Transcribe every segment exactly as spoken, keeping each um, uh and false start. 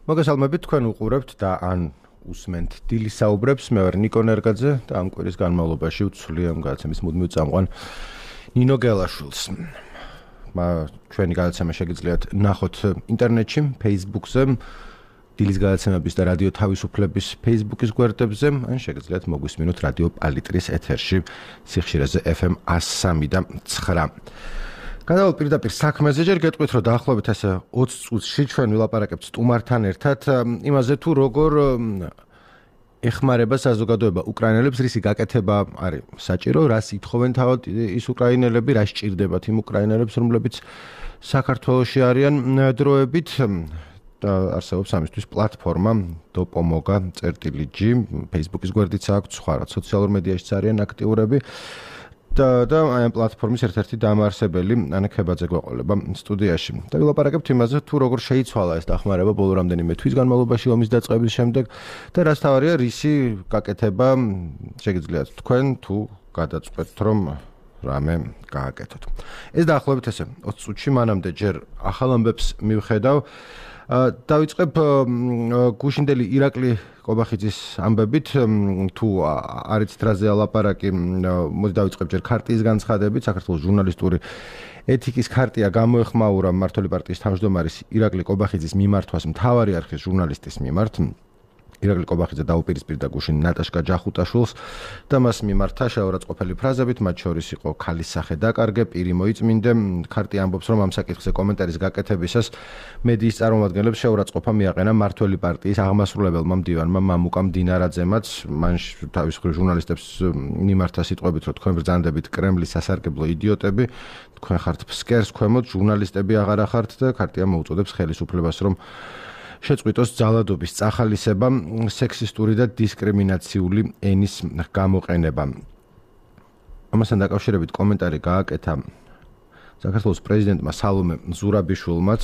მოგესალმებით, თქვენ უყურებთ და ან უსმენთ დილის საუბრებს. მე ვარ ნიკო ნერგაძე და ამ კვირის განმავლობაში ვცვლი ამ გადაცემის მუდმივ წამყვან ნინო გელაშვილს. ჩვენი გადაცემა შეგიძლიათ ნახოთ ინტერნეტში, Facebook-ზე, დილის გადაცემების და რადიო თავისუფლების Facebook-ის გვერდებზე, ან შეგიძლიათ მოგვისმინოთ რადიო პალიტრის ეთერში სიხშირეზე ეფ ემ ას სამი და ცხრა. გადავალ პირდაპირ საქმეზე, ჯერ გეტყვით, რომ დაახლოებით ესე ოცი წუთში ჩვენ ვილაპარაკებთ სტუმართან ერთად იმაზე, თუ როგორ ეხმარება საზოგადოება უკრაინელებს, რისი გაკეთება არის საჭირო, რას ითხოვენ თავად ის უკრაინელები, რა სჭირდებათ იმ უკრაინელებს, რომლებიც საქართველოში არიან დროებით. და არსებობს ამისთვის პლატფორმა დოპომოგა წერტილი ჯი, Facebook-ის გვერდიც აქვს, სხვა რა სოციალურ მედიაშიც არიან აქტიურები. და და აი ამ პლატფორმის ერთ-ერთი დამაარსებელი ანა ქებაძე გვეყოლება სტუდიაში. და ვილაპარაკებთ იმაზე, თუ როგორ შეიცვალა ეს დახმარება ბოლო რამდენიმე თვის განმავლობაში ომის დაწყების შემდეგ და რას თავარია რისი გაკეთება შეგიძლიათ თქვენ თუ გადაწყვეტთ რომ რამე გააკეთოთ. ეს დაახლოებით ესე ოცი წუთში მანამდე ჯერ ახალ ამბებს მივხედავ. დავიწყებ გუშინდელი ირაკლი კობახიძის ამბებით, თუ არიცით რაზეა ლაპარაკი, მოდი დავიწყებ ჯერ ქარტიის განცხადებით. საქართველოს ჟურნალისტური ეთიკის ქარტია გამოეხმაურა მმართველი პარტიის თავმჯდომარის ირაკლი კობახიძის მიმართვას მთავარი არხის ჟურნალისტის მიმართ. ირაკლი კობახიძე დაუპირისპირდა გუშინ ნატაშკა ჯახუტაშვილს და მას მიმართა შეურაცხყოფელი ფრაზებით, მათ შორის იყო ქალის სახე დაკარგე, პირი მოიწმინდე. ქარტია ამბობს, რომ ამ საკითხზე კომენტარის გაკეთებისას მედიის წარმომადგენლებს შეურაცხყოფა მიაყენა მმართველი პარტიის აღმასრულებელმა მდივანმა მამუკა მდინარაძემაც. მან თავის მხრივ ჟურნალისტებს მიმართა სიტყვებით, რომ თქვენ ბრძანდებით კრემლის სასარგებლო იდიოტები, თქვენ ხართ ფსკერს ქვემოთ, ჟურნალისტები აღარ ახართ და ქარტია მოუწოდებს ხელისუფლებას, რომ შეწყვიტოს ძალადობის წახალისება, სექსისტური და დისკრიმინაციული ენის გამოყენება. ამასთან დაკავშირებით კომენტარი გააკეთა საქართველოს პრეზიდენტმა სალომე ზურაბიშვილმაც.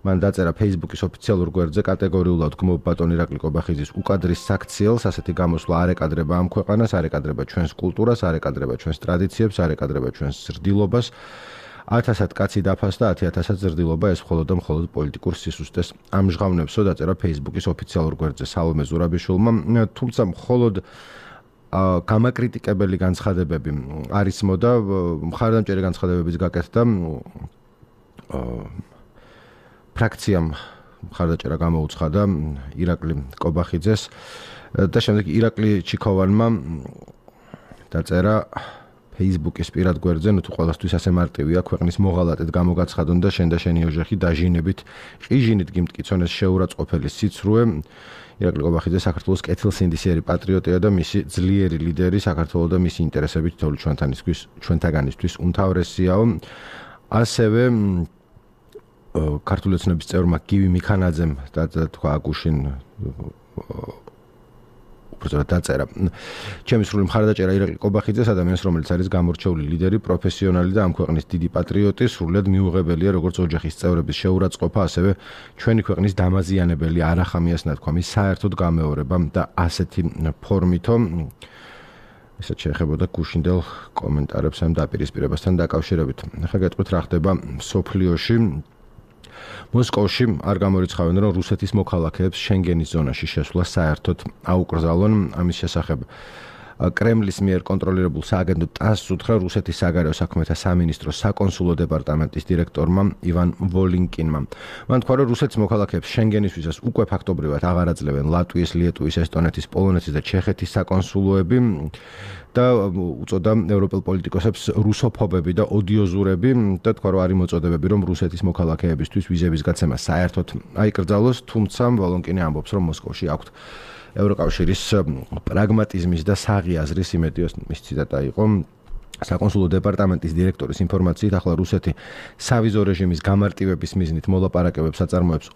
მან დაწერა Facebook-ის ოფიციალურ გვერდზე კატეგორიულად გმობ ბატონ ირაკლი კობახიძის უკადრის საქციელს, ასეთი გამოსვლა არ ეკადრება ამ ქვეყანას, არ ეკადრება ჩვენს კულტურას, არ ეკადრება ჩვენს ტრადიციებს, არ ეკადრება ჩვენს ზრდილობას. ათასად კაცი დაფასდა, ათი ათასად ზრდილობა, ეს მხოლოდ და მხოლოდ პოლიტიკურ სისუსტეს ამჟღავნებსო, დაწერა Facebook-ის ოფიციალურ გვერდზე სალომე ზურაბიშვილმა. თუმცა მხოლოდ გამაკრიტიკებელი განცხადებები არ ისმოდა, მხარდამჭერი განცხადებებიც გაკეთდა ფრაქციამ მხარდაჭერა გამოუცხადა ირაკლი კობახიძეს და შემდეგ ირაკლი ჩიქოვანმა დაწერა Facebook-ის პირად გვერდზე, ნუ თუ ყველასთვის ასე მარტივია, ქვეყნის მოღალატედ გამოგაცხადონ და შენ და შენი ოჯახი დაჟინებით, ყიჟინით გიმტკიცონ ეს შეურაცხყოფელი სიცრუე. ირაკლი კობახიძე საქართველოს კეთილსინდისიერი პატრიოტია და მისი ძლიერი ლიდერი, საქართველოს და მისი ინტერესები თითოეული ჩვენთანისთვის, ჩვენთაგანისთვის უმთავრესიაო. ასევე ქართული ოცნების წევრმა გივი მიქანაძემ და თქვა გუშინ უბრალოდ დაწერა. ჩემი სრული მხარდაჭერა ირაკლი კობახიძეს, ადამიანს, რომელიც არის გამორჩეული ლიდერი, პროფესიონალი და ამ ქვეყნის დიდი პატრიოტი, სრულად მიუღებელია როგორც ოჯახის წევრების შეურაცხყოფა, ასევე ჩვენი ქვეყნის დამაზიანებელი არახამიას ნათქვამის საერთოდ გამეორება და ასეთი ფორმითო ესეც შეეხებოდა გუშინდელ კომენტარებს ამ დაპირისპირებასთან დაკავშირებით. ახლა გეტყვით რა ხდება სოფლიოში. მოსკოვში არ გამორიცხავენ, რომ რუსეთის მოქალაქეებს შენგენის ზონაში შესვლა საერთოდ აუკრძალონ. ამის შესახებ კრემლის მიერ კონტროლირებულ სააგენტო ტასს უთხრა რუსეთის საგარეო საქმეთა სამინისტროს საკონსულო დეპარტამენტის დირექტორმა ივან ვოლინკინმა. მან თქვა, რომ რუსეთის მოქალაქეებს შენგენისთვისაც უკვე ფაქტობრივად აღარ აძლევენ ლატვიის, ლიეტუვის, ესტონეთის, პოლონეთის და ჩეხეთის საკონსულოები და უწოდა ევროპელ პოლიტიკოსებს რუსოფობები და ოდიოზურები და თქვა, რომ არის მოწოდებები, რომ რუსეთის მოქალაქეებისთვის ვიზების გაცემა საერთოდ აიკრძალოს, თუმცა ვოლინკინი ამბობს, რომ მოსკოვში აქვთ ევროკავშირის პრაგმატიზმის და საღი აზრის იმედიოს. მის ციტატა იყო საკონსულო დეპარტამენტის დირექტორის ინფორმაციით, ახლა რუსეთი სავიზო რეჟიმის გამარტივების მიზნით მოლაპარაკებებს აწარმოებს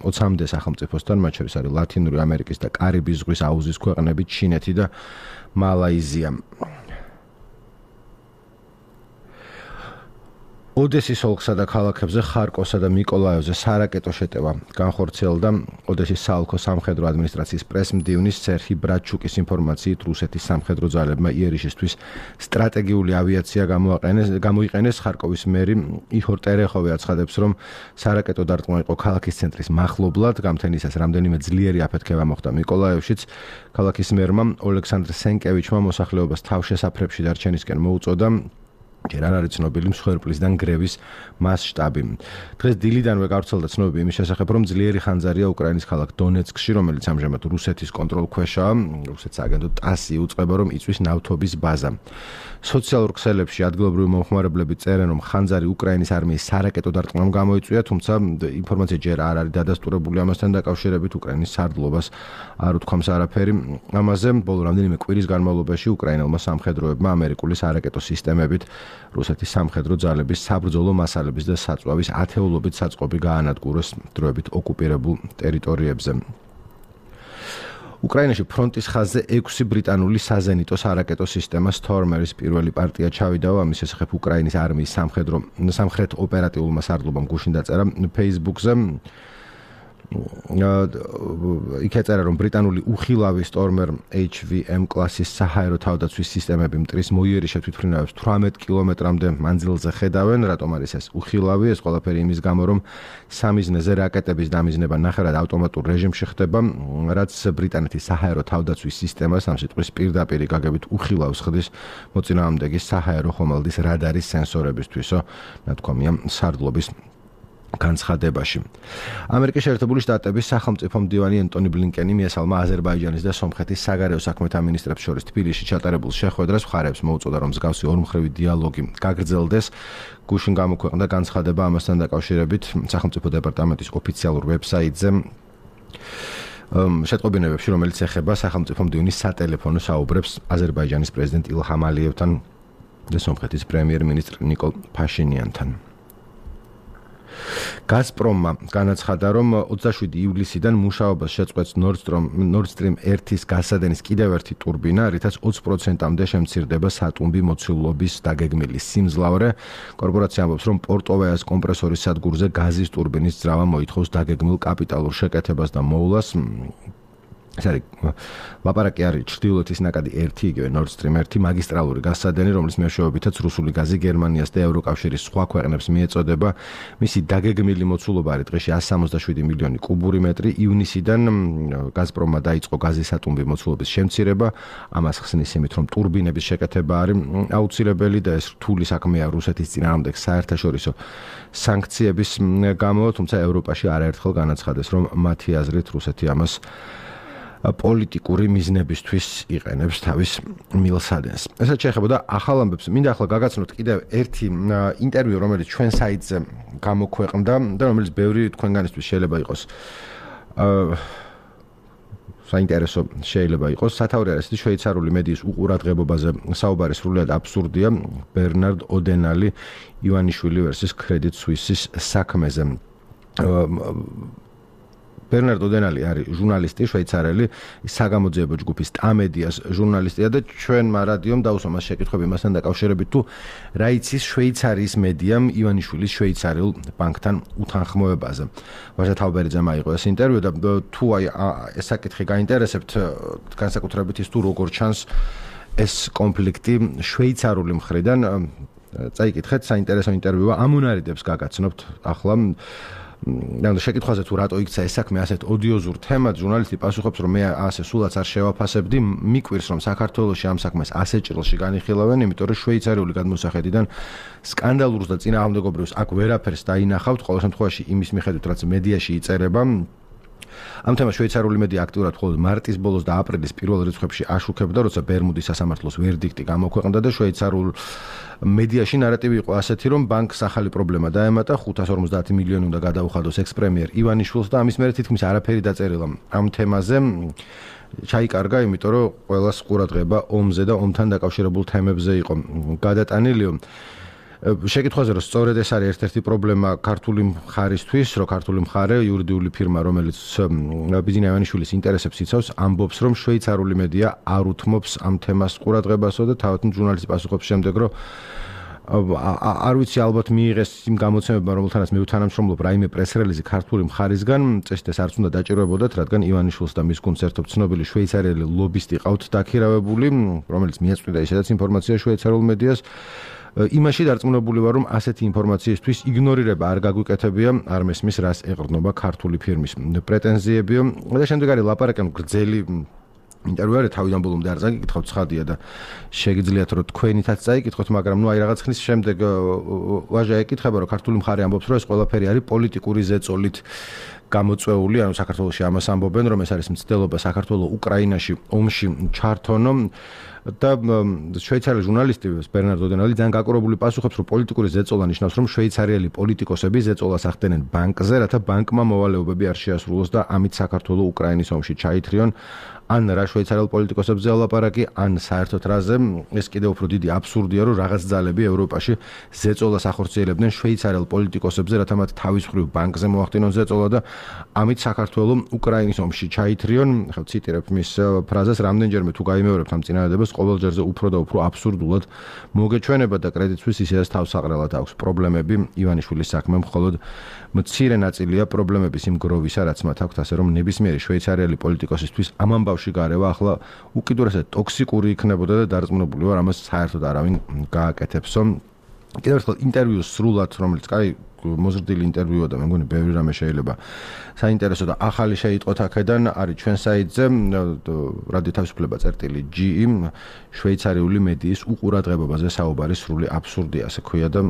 ოცამდე სახელმწიფოსთან, მათ შორის არის ლათინური ამერიკის და კარიბის ზღვის აუზის ქვეყნები, ჩინეთი და მალაიზია. ოდესის ოლქსა და ქალაქებზე ხარკოვსა და მიკოლაევზე სარაკეტო შეტევა განხორციელდა. ოდესის საოლქო სამხედრო ადმინისტრაციის პრესმდივნის სერჰი ბრაჩუკის ინფორმაციით რუსეთის სამხედრო ძალებმა იერიშისთვის სტრატეგიული ავიაცია გამოაყენეს. გამოიყენეს ხარკოვის მერი იჰორ ტერეხოვი აცხადებს, რომ სარაკეტო დარტყმა იყო ქალაქის ცენტრის მახლობლად. გამთენისას რამდენიმე ძლიერი აფეთქება მოხდა მიკოლაევშიც. ქალაქის მერმა ოლექსანდრ სენკევიჩმა მოსახლეობას თავშესაფრებში დარჩენისკენ მოუწოდა. ჯერ არ არის ცნობილი მსხვერპლისგან გრევის მასშტაბი. დღეს დილიდანვე გავრცელდა ცნობები იმის შესახებ, რომ ძლიერი ხანძარია უკრაინის ქალაქ დონეცკში, რომელიც ამჟამად რუსეთის კონტროლქვეშაა. რუსეთის აგენტო ტასი უწყება, რომ იწვის ნავთობის ბაზა. სოციალურ ქსელებში ადგილობრივი მომხმარებლები წერენ, რომ ხანძარი უკრაინის არმიის სარაკეტო დარტყმამ გამოიწვია, თუმცა ინფორმაცია ჯერ არ არის დადასტურებული ამასთან დაკავშირებით. უკრაინის სარდლობას არ უთქვამს არაფერი ამაზე. ბოლო რამდენიმე კვირის განმავლობაში უკრაინელმა სამხედროებმა ამერიკული სარაკეტო სისტემებით რუსეთის სამხედრო ძალების საბრძოლო მასალების და საწვავის ათეულობით საწყობი გაანადგურეს დროებით ოკუპირებულ ტერიტორიებზე. უკრაინაში ფრონტის ხაზზე ექვსი ბრიტანული საზენიტო სარაკეტო სისტემა Stormer-ის პირველი პარტია ჩავიდა. ამის შესახებ უკრაინის არმიის სამხედრო სამხრეთ ოპერატიულმა სარდლობამ გუშინ დაწერა Facebook-ზე. იქ ეწერა, რომ ბრიტანული უხილავი Stormer H V M კლასის საჰაერო თავდაცვის სისტემები მტრის მოიერიშე თვითმფრინავებს თვრამეტ კილომეტრამდე მანძილზე ხედავენ. რატომ არის ეს უხილავი? ეს ყველაფერი იმის გამო, რომ სამიზნეზე რაკეტების დამიზნება ნახევრად ავტომატურ რეჟიმში ხდება, რაც ბრიტანეთის საჰაერო თავდაცვის სისტემას ამ სიტყვის პირდაპირ გაგებით უხილავს ხდის მოწინააღმდეგის საჰაერო ხომალდის რადარის სენსორებისთვისო, ნათქვამია სარდლობის განცხადებაში. ამერიკის შეერთებული შტატების სახელმწიფო მდივანი ენტონი ბლინკენი მიესალმა აზერბაიჯანის და სომხეთის საგარეო საქმეთა მინისტრებს შორის თბილისში ჩატარებულ შეხვედრას. მხარეებს მოუწოდა, რომ მსგავსი ორმხრივი დიალოგი გაგრძელდეს. გუშინ გამოქვეყნდა განცხადება ამასთან დაკავშირებით სახელმწიფო დეპარტამენტის ოფიციალურ ვებსაიტზე. შეტყობინებებში, რომელიც ეხება სახელმწიფო მდივნის სატელეფონო საუბრებს აზერბაიჯანის პრეზიდენტ ილჰამ ალიევთან და სომხეთის პრემიერ-მინისტრ ნიკოლ ფაშინიანთან. გაზპრომმა განაცხადა, რომ ოცდაშვიდი ივლისიდან მუშაობას შეწყვეტს Nord Stream ერთის გასადენის კიდევ ერთი ტურბინა, რითაც ოცი პროცენტამდე შემცირდება სატუმბი მოცულობის დაგეგმილი სიმძლავრე. კორპორაცია ამბობს, რომ პორტოვაიას კომპრესორის სადგურზე გაზის ტურბინის ძრავა მოითხოვს დაგეგმილ კაპიტალურ შეკეთებას და მოვლას. ეს არის ლაპარაკი არის ჩრდილოეთის ნაკადი ერთი, იგივე Nord Stream ერთი მაგისტრალური გასადენი, რომლის მეშვეობითაც რუსული გაზი გერმანიას და ევროკავშირის სხვა ქვეყნებს მიეწოდება. მისი დაგეგმილი მოცულობა არის დღეში εκατს სამოცდაშვიდი მილიონი კუბური მეტრი. ივნისიდან გაზპრომმა დაიწყო გაზის სატუმბი მოცულობის შემცირება. ამას ხსნის იმით, რომ ტურბინების შეკეთება არის აუცილებელი და ეს რთული საქმეა რუსეთის წინააღმდეგ საერთაშორისო სანქციების გამო, თუმცა ევროპაში არაერთხელ განაცხადეს, რომ მათი აზრით რუსეთი ამას პოლიტიკური მიზნებისთვის იყენებს თავის მილსადენს. ესაც შეეხებოდა ახალ ამბებს. მინდა ახლა გაგაცნოთ კიდევ ერთი ინტერვიუ, რომელიც ჩვენ საიტზე გამოქვეყნდა და რომელიც ბევრი თქვენგანისთვის შეიძლება იყოს საინტერესო შეიძლება იყოს. სათავე არის ის შვეიცარიული მედიის უყურადღებობაზე საუბარი სრულიად აბსურდია. ბერნარდ ოდენალი ივანიშვილი ვერსის Credit Suisse-ის საქმეზე. ბერნარდ ოდენალი არის ჟურნალისტი შვეიცარელი, საგამოძიებო ჯგუფის ტამედიას ჟურნალისტია და ჩვენმა რადიომ დაუსვა მას შეკითხვები მასთან დაკავშირებით, თუ რა იცის შვეიცარიის მედიამ ივანიშვილის შვეიცარიულ ბანკთან უთანხმოებაზე. ვაჟა თავბერიძემ აიღო ეს ინტერვიუ და თუ აი ეს საკითხი გაინტერესებთ, განსაკუთრებით ის თუ როგორ ჩანს ეს კონფლიქტი შვეიცარული მხრიდან, წაიკითხეთ, საინტერესო ინტერვიუა, ამონარიდებს გაგაცნობთ ახლა. და შეკითხვაზე თუ რატო იქცა ეს საქმე ასეთ ოდიოზურ თემად, ჟურნალისტი პასუხობს, რომ მე ასე სულაც არ შევაფასებდი, მიკვირს, რომ საქართველოში ამ საქმეს ასე ჭრილში განიხილავენ, იმიტომ რომ შვეიცარიული გადმოსახედიდან სკანდალურს და წინააღმდეგობრივს აქ ვერაფერს დაინახავთ, ყოველ შემთხვევაში იმის მიხედვით, რაც მედიაში იწერება. ამ თემას შვეიცარიული მედია აქტიურად მხოლოდ მარტის ბოლოს და აპრილის პირველ რიცხვებში აშუქებდა, როცა ბერმუდის სასამართლოს ვერდიქტი გამოქვეყნდა და შვეიცარულ მედიაში ნარატივი იყო ასეთი, რომ ბანკს ახალი პრობლემა დაემატა, ხუთას ორმოცდაათი მილიონი უნდა გადაუხადოს ექს-პრემიერ ივანიშვილს და ამის მერე თითქმის არაფერი დაწერილა ამ თემაზე. ჩაიკარგა, იმიტომ რომ ყველას ყურადღება ომზე და ომთან დაკავშირებულ თემებზე იყო გადატანილი. შეკითხვაზე, რომ სწორედ ეს არის ერთ-ერთი პრობლემა ქართული მხარისთვის, რომ ქართული მხარე, იურიდიული ფირმა, რომელიც ბიძინა ივანიშვილის ინტერესებს იცავს, ამბობს, რომ შვეიცარული მედია არ უთმობს ამ თემას ყურადღებასო და თავად ჟურნალისტი პასუხობს შემდეგ, რომ არ ვიცი ალბათ მიიღეს იმ გამოცემებმა, რომელთანაც მე ვთანამშრომლობ რაიმე პრეს-რელიზი ქართული მხარისგან, წესით ეს არც უნდა დაჭიროებოდათ, რადგან ივანიშვილს და მის გუნდს ერთობ ცნობილი შვეიცარიელი ლობისტი ყავთ დაქირავებული, რომელიც მიაწვიდა ისედაც ინფორმაცია შვეიცარიულ მედიას. იმაში დარწმუნებული ვარ, რომ ასეთი ინფორმაციისთვის იგნორირება არ გაგვიკეთებია, არ მესმის რას ეყრდნობა ქართული ფირმის პრეტენზიებიო და შემდეგ არის ლაპარაკი გრძელი ინტერვიუ არის თავიდან ბოლომდე არ წაიკითხავთ ცხადია და შეგიძლიათ რომ თქვენითაც წაიკითხოთ, მაგრამ ნუ აი რაღაც ხნის შემდეგ ვაჟა ეკითხება რომ ქართული მხარე ამბობს რომ ეს ყველაფერი არის პოლიტიკური ზეწოლით გამოწვეული, ანუ საქართველოში ამას ამბობენ რომ ეს არის მცდელობა საქართველოს უკრაინაში ომში ჩართონო და შვეიცარიელი ჟურნალისტი ბერნარდო დენალი ძალიან გაკურებული პასუხობს რომ პოლიტიკური ზეწოლა ნიშნავს რომ შვეიცარიელი პოლიტიკოსები ზეწოლას ახდენენ ბანკზე, რათა ბანკმა მოვალეობები არ შეასრულოს და ამით საქართველოს უკრაინის ომში ჩაითრიონ. ან რა შვეიცარიელ პოლიტიკოსებზე ლაპარაკი, ან საერთოდ რაზე, ეს კიდევ უფრო დიდი აბსურდია, რომ რაღაც ძალები ევროპაში ზეწოლას ახორციელებდნენ შვეიცარიელ პოლიტიკოსებზე, რათა მათ თავის მხრივ ბანკზე მოახდინონ ზეწოლა და ამით საქართველოს უკრაინის ომში ჩაითრიონ. ხო, ციტირებ მის ფრაზას, რამდენჯერმე თუ გაიმეორებთ ამ წინადადებას, ყოველ ჯერზე უფრო და უფრო აბსურდულად მოგეჩვენება და კრედიტსვის ისედაც თავსაღრელად აქვს პრობლემები. ივანიშვილის საქმე მხოლოდ მცირე ნაწილია პრობლემების იმ გროვისა, რაც მათ აქვთ, ასე რომ ნებისმიერი შვეიცარიელი პოლიტიკოსისთვის ამ ამბავში გარევა ახლა უკიდურესად ტოქსიკური იქნებოდა და დარწმუნებული ვარ, ამას საერთოდ არავინ გააკეთებსო. კიდევ ერთხელ ინტერვიუს სრულად, რომელიც კაი მოზრდილი ინტერვიუა და მე მგონი ბევრი რამე შეიძლება საინტერესო და ახალი შეიტყოთ აქედან, არის ჩვენ საიტზე რადიო თავისუფლება წერტილი ჯი შვეიცარიული მედიის უყურადღებობაზე საუბარი სრული აბსურდია, ასე ქვია და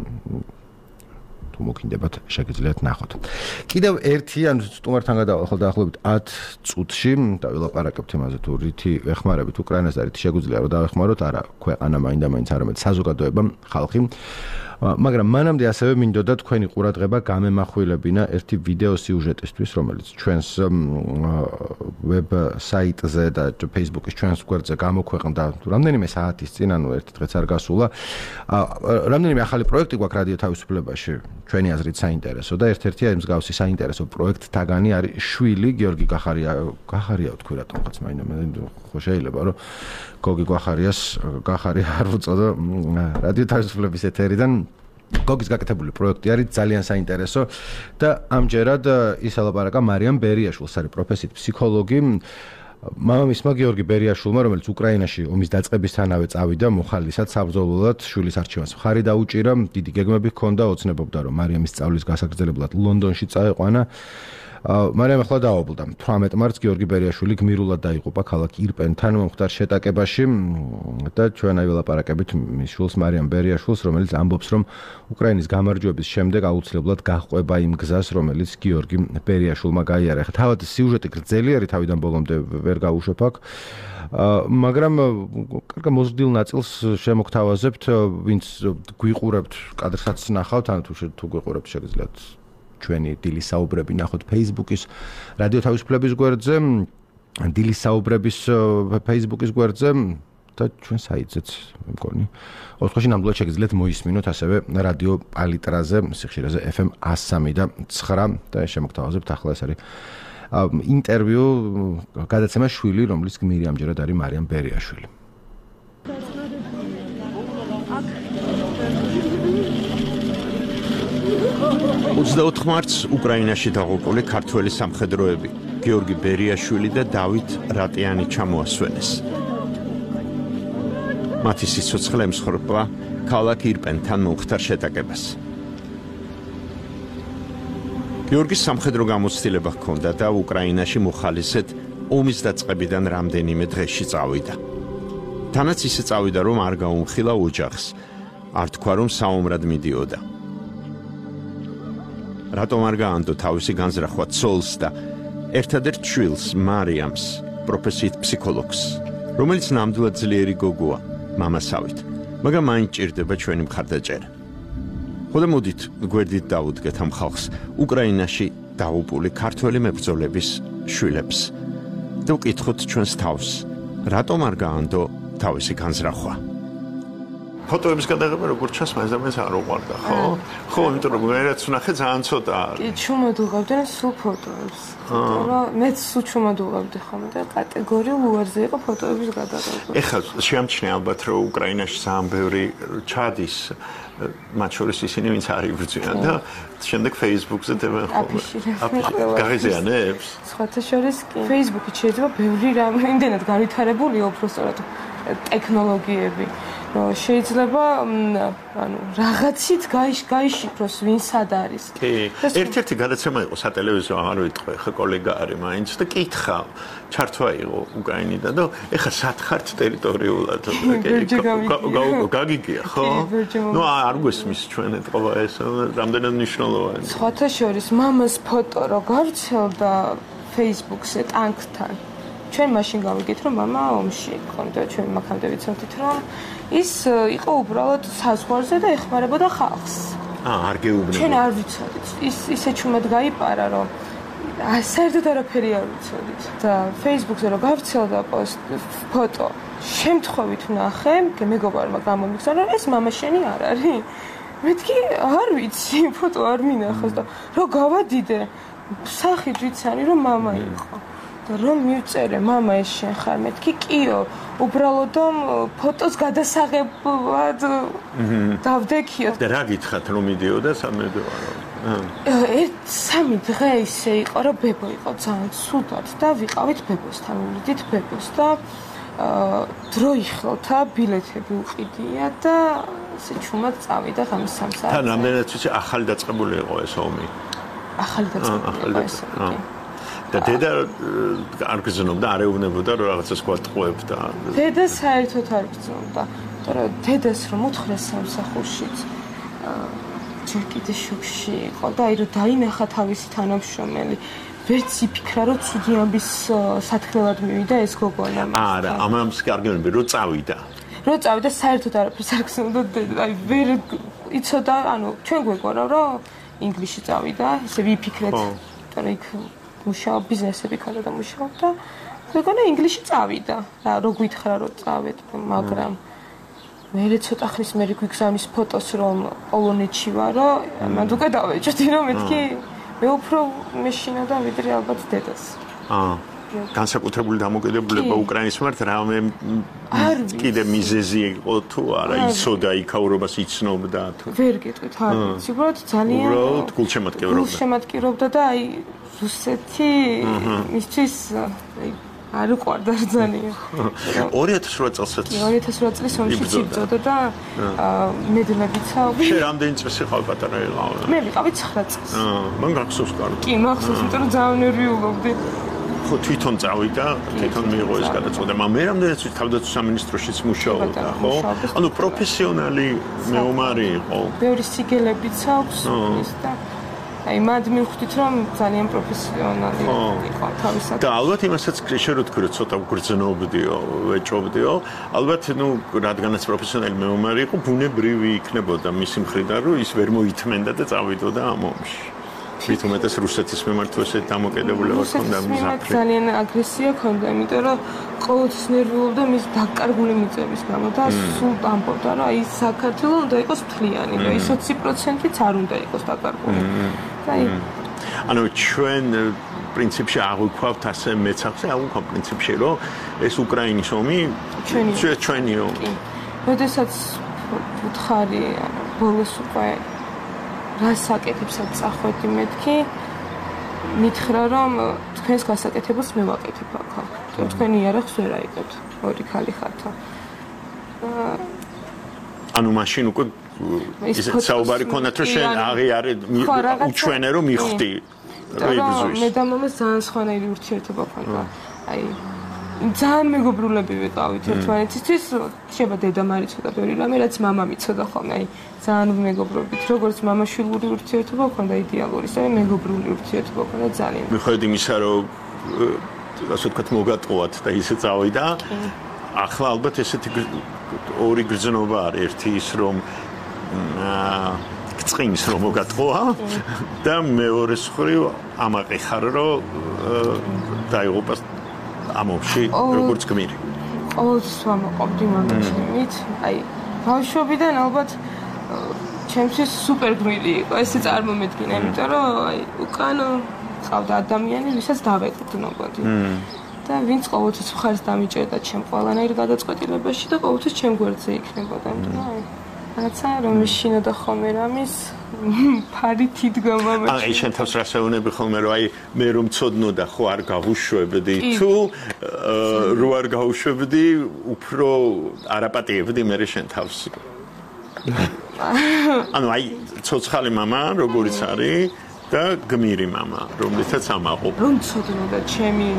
თუ მოგინდებათ შეგიძლიათ ნახოთ. კიდევ ერთი ან სტუმართან გადავალ დაახლოებით ათ წუთში და ვილაპარაკებთ იმაზე თუ რითი ეხმარებით უკრაინას და რითი შეგვიძლია რომ დავეხმაროთ, არა ქვეყანა მაინდა-მაინც არამედ საზოგადოება, ხალხი. მაგრამ მანამდე ასევე მინდოდა თქვენი ყურადღება გამემახვილებინა ერთი ვიდეო სიუჟეტისთვის, რომელიც ჩვენს ვებ საიტზე და Facebook-ის ჩვენს გვერდზე გამოქვეყნდა რამდენიმე საათის წინ, ანუ ერთი დღეც არ გასულა. რამდენიმე ახალი პროექტი გვაქვს რადიო თავისუფლებაში, ჩვენი აზრით საინტერესო და ერთ-ერთი აი მსგავსი საინტერესო პროექტთაგანი არის შვილი გიორგი გახარია, გახარია თქვი რატომღაც მაინდა მე ხო შეიძლება რომ გოგი გახარიას გახარია არ უწოდო რადიო თავისუფლების ეთერიდან. გოგის გაკეთებული პროექტი არის ძალიან საინტერესო და ამჯერად ის ელაპარაკა მარიამ ბერიაშვილს, არის პროფესიით ფსიქოლოგი. მამამისმა გიორგი ბერიაშვილმა, რომელიც უკრაინაში ომის დაწყებისთანავე წავიდა მოხალისად საბრძოლველად, შვილის არჩევას მხარი დაუჭირა, დიდი გეგმები ჰქონდა, ოცნებობდა რომ მარიამის სწავლის გასაგრძელებლად ლონდონში წაეყვანა. მარიამ ახლა დაობლდა. თვრამეტ მარტს გიორგი ბერიაშვილი გმირულად დაიღუპა ქალაქ ირპენთან მომხდარ შეტაკებაში და ჩვენ აი ველაპარაკებით მის შვილს მარიამ ბერიაშვილს, რომელიც ამბობს, რომ უკრაინის გამარჯვების შემდეგ აუცილებლად გაჰყვება იმ გზას, რომელიც გიორგი ბერიაშვილმა გაიარა. ხა თავად სიუჟეტი გრძელი არის, თავიდან ბოლომდე ვერ გავუშვებ აქ. მაგრამ კარგა მოზრდილ ნაწილს შემოგთავაზებთ, ვინც გვიყურებთ, კადრსაც ნახავთ, ან თუ თუ გვიყურებთ შეგიძლიათ ჩვენი დილის საუბრები ნახოთ Facebook-ის რადიო თავისუფლების გვერდზე, დილის საუბრების Facebook-ის გვერდზე და ჩვენ საიტზეც მე მგონი. ოთხში ნამდვილად შეგიძლიათ მოისმინოთ ასევე რადიო პალიტრაზე, სიხშირეზე ეფ ემ εκατო სამი და ცხრა და შემოგთავაზებთ ახლა ეს არის ინტერვიუ გადაცემა შვილი, რომლის გმირი ამჯერად არის მარიამ ბერიაშვილი. ოცდაოთხ მარტს უკრაინაში დაღუპული ქართველი სამხედროები გიორგი ბერიაშვილი და დავით რატიანი ჩამოასვენეს. მათი სიცოცხლე ემსხვერპლა ქალაქ ირპენთან მომხდარ შეტაკებას. გიორგის სამხედრო გამოცდილება ჰქონდა და უკრაინაში მოხალისედ ომის დაწყებიდან რამდენიმე დღეში წავიდა. თანაც ისე წავიდა, რომ არ გაუმხილა ოჯახს, არ თქვა, რომ საომრად მიდიოდა. რატომ არ გაანდო თავისი განზრახვა ცოლს და ერთადერთ შვილს მარიამს, პროფესიით ფსიქოლოგს, რომელიც ნამდვილად ძლიერი გოგოა, მამასავით, მაგრამ მაინც ჭირდება ჩვენი მხარდაჭერა. ხოლო მოდით გვერდით დავუდგეთ ამ ხალხს, უკრაინაში დაღუპული ქართველი მებრძოლების შვილებს და ვკითხოთ ჩვენს თავს, რატომ არ გაანდო თავისი განზრახვა. ფოტოების გადაღება როგორც ჩანს, მაინც და მაინც არ უყვარდა, ხო? ხო, იმიტომ რომ მე რაც ვნახე ძალიან ცოტა არის. კი, ჩუმად უღებდნენ სულ ფოტოებს. რა, მეც სულ ჩუმად უღებდი ხოლმე და კატეგორიულ უარზე იყო ფოტოების გადაღება. ეხლა შეამჩნია ალბათ, რომ უკრაინაში ძალიან ბევრი ჩადის, მათ შორის ისინი, ვინც არ იბრძვიან და შემდეგ Facebook-ზე დებენ ხოლმე. გაღიზიანებს? სხვათა შორის კი. Facebook-ით შეიძლება ბევრი რამ იმდენად განვითარებულია უბრალოდ ტექნოლოგიები. შეიძლება ანუ რაღაცით გაიშიფროს ვინ სად არის. კი. ერთ-ერთი გადაცემა იყო სატელევიზიო, არ ვიტყვი, ხა კოლეგა არის მაინც და კითხა, ჩართვა იყო უკრაინიდან და ეხა სად ხართ ტერიტორიულად? გაგიგია, ხო? ნუ არ გვესმის ჩვენ ეთყობა ეს, რამდენად მნიშვნელოვანი. სხვათა შორის მამას ფოტო რო გავრცელდა Facebook-ზე ტანკთან. ჩვენ მაშინ გავიგეთ რომ მამა ომში იყო და ჩვენ მაგამდე ვიცოდით რომ ის იყო უბრალოდ საზღვარზე და ეხმარებოდა ხალხს. აა არ გეუბნებოდა. ჩვენ არ ვიცოდით. ის ისე ჩუმად გაიპარა რომ საერთოდ არაფერი არ ვიცოდით და Facebook-ზე რო გავრცელდა პოსტ ფოტო შემთხვევით ვნახე, მეგობარმა გამომიგზავნა რომ ეს მამა შენი არ არის. მეთქი არ ვიცი, ფოტო არ მინახავს და რო გავადიდე, სახით ვიცანი რომ მამა იყო. რომ მივწერე მამა ეს შენ ხარ მეთქი კიო უბრალოდ ფოტოს გადასაღებად დავდექიო და რა გითხრათ რომ მიდიოდა სამედოარო ერთ სამი დღე ისე იყო რომ ბებო იყო ძალიან ცუდად და ვიყავით ბებოსთან ვიდით ბებოს და დრო იხელთა ბილეთები უყიდია და ესე ჩუმად წავიდა ღამის სამ საათზე თან რამდენად ვიცი ახალი დაწყებული იყო ეს ომი ახალი დაწყებული იყო ეს ომი და დედა არ გზნობდა, არ ეუბნებოდა რომ რაღაცას გვატყუებდა. დედა საერთოდ არ გზნობდა. მაგრამ დედას რომ უთხრეს სამსახურშიც ჯერ კიდე შოქში იყო და აი რომ დაინახა თავისი თანამშრომელი. ვერც იფიქრა რომ ცუდი ამბის სათქმელად მივიდა ეს გოგონა. არა, ამას კარგები რომ წავიდა. რომ წავიდა საერთოდ არაფერს არ გზნობდა დედა. აი ვერ იცოდა, ანუ ჩვენ გვეგონა რომ ინგლისში წავიდა, ესე ვიფიქრეთ. მაგრამ იქ მუშაობ ბიზნესები ქონდა და მუშაობდა. მეგონა ინგლისში წავიდა. რა რო გითხრა რომ წავედ, მაგრამ მე ცოტა ხნის მერე გვიგზავნის ფოტოს რომ პოლონეთში ვარო, მანდ უკვე დავეჭდი რომ მეთქი მე უფრო მეშინოდა ვიდრე ალბათ დედას. აა განსაკუთრებული დამოკიდებულება უკრაინის მიმართ რამე კიდე მიზეზი იყო თუ არა იცოდა იქაურობას იცნობდა თუ ვერ გეტყვით არ ვიცი უბრალოდ ძალიან უბრალოდ გულშემატკივრობდა გულშემატკივრობდა და აი რუსეთი მისთვის აი არ უყვარდა ძალიან ორი ათას რვა წელსაც ორი ათას რვა წლის ომში იბრძოდა და მედლებიცა შე რამდენი წესი ხარ პატარა იყავ მე ვიყავი ცხრა წელს აა მან გახსოვს კარგი კი მახსოვს იმიტომ რომ ძალიან ნერვიულობდი ხო თვითონ წავიდა თვითონ მიიღო ეს გადაწყვეტა მაგრამ მე რამდენიც თავდაცვის სამინისტროშიც მუშაობდა ხო ანუ პროფესიონალი მეომარი იყო ბევრი სიგელებიც აქვს ის და აი მად მივხვდით რომ ძალიან პროფესიონალი იყო თავისად და ალბათ იმასაც შერო თქვი რომ ცოტა გრძნობდიო ვეჭობდიო ალბათ ნუ რადგანაც პროფესიონალი მეომარი იყო ბუნებრივი იქნებოდა მისი მხრიდან რომ ის ვერ მოითმენდა და წავიდოდა ამ ომში თვითონაც რუსეთის მიმართ ესე დამოკიდებულება ჰქონდა მიზაფრი ძალიან აგრესია ჰქონდა იმიტომ რომ ყოველთვის ნერვიულობდა მის დაკარგული მიწების გამო და სულ ამბობდა რომ აი საქართველოს უნდა იყოს მთლიანი და ის ოცი პროცენტიც არ უნდა იყოს დაკარგული აი ანუ ჩვენ პრინციპში აღვიქვავთ ასე მეცახზე აღვიქვავ პრინციპში რომ ეს უკრაინის ომი ჩვენი ომი როდესაც უთხარი ბოლოს უკვე რას საკეთებსაც წახვედი მეთქი მითხრა რომ თქვენს გასაკეთებელს მე ვაკეთებ ახლა თქვენ იარაღს ვერ აიღებთ ორი ხალი ხართ ანუ მაშინ უკვე ისე საუბარი ქონდათ რომ შენ აღიარე უჩვენე რომ მიხვდი რა იბრძვის მე და მამას ძალიან სხვანაირი ურთიერთობა ქონდა აი ძალიან მეგობრულები ვიყავით ერთმანეთისთვის შეიძლება დედა მარიცოდა ბევრი რამე რაც მამა მიცოდა ხოლმე აი ძალიან მეგობრობით როგორც მამა-შვილური ურთიერთობა ქონდა იდეალური ისე მეგობრული ურთიერთობა ქონდა ძალიან მიხედავთ იმისა რომ ასე ვთქვათ მოგატყუათ და ისე წავიდა ახლა ალბათ ესეთი ორი გრძნობა არის ერთი ის რომ წინის რომ მოგატყუა და მეორე მხრივ ამაყი ხარ რომ დაიღუპას ამოში როგორც გმირი. ყოველთვის ვამაყობდი მამაჩემით, აი ბავშვობიდან ალბათ ჩემთვის სუპერ გმირი იყო ესე წარმომედგინა, იმიტომ რომ აი უკან ყავდა ადამიანი, ვისაც დავეკუთვნებოდი. და ვინც ყოველთვის მხარს დამიჭერდა ჩემ ყველანაირ გადაწყვეტილებაში და ყოველთვის ჩემ გვერდზე იქნებოდა. რაცა რომ შინოდა ხოლმე რამის ფარი თიდგა მომეჩი. აი შენ თავს რასაუნები ხოლმე რომ აი მე რომ ცოდნოდა ხო არ გავუშვებდი თუ რო არ გავუშვებდი უფრო არაპატიებდი მე შენ თავს. ანუ აი ცოცხალი мама როგორიც არის და გმირი мама რომლითაც ამაყობ. რომ ცოდნოდა ჩემი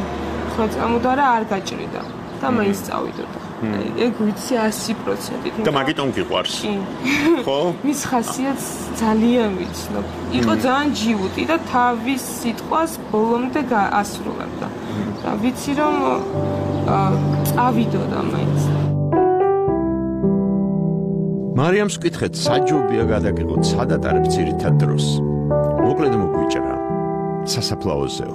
ხო წამოდა რა არ გაჭრიდა და მაინც წავიდოდა. ეგ ვიცი ასი პროცენტით. და მაგიტომ გიყვარს. ხო? მის ხასიათს ძალიან ვიცნობ. იყო ძალიან ჯიუტი და თავის სიტყვას ბოლომდე ასრულებდა. და ვიცი რომ წავიდოდა მაინც. მარიამს ვკითხეთ, საჯობია გადაგიღოთ, სადაც არის ძირითად დროს. მოკლედ მოგვიჭრა სასაფლაოზეო.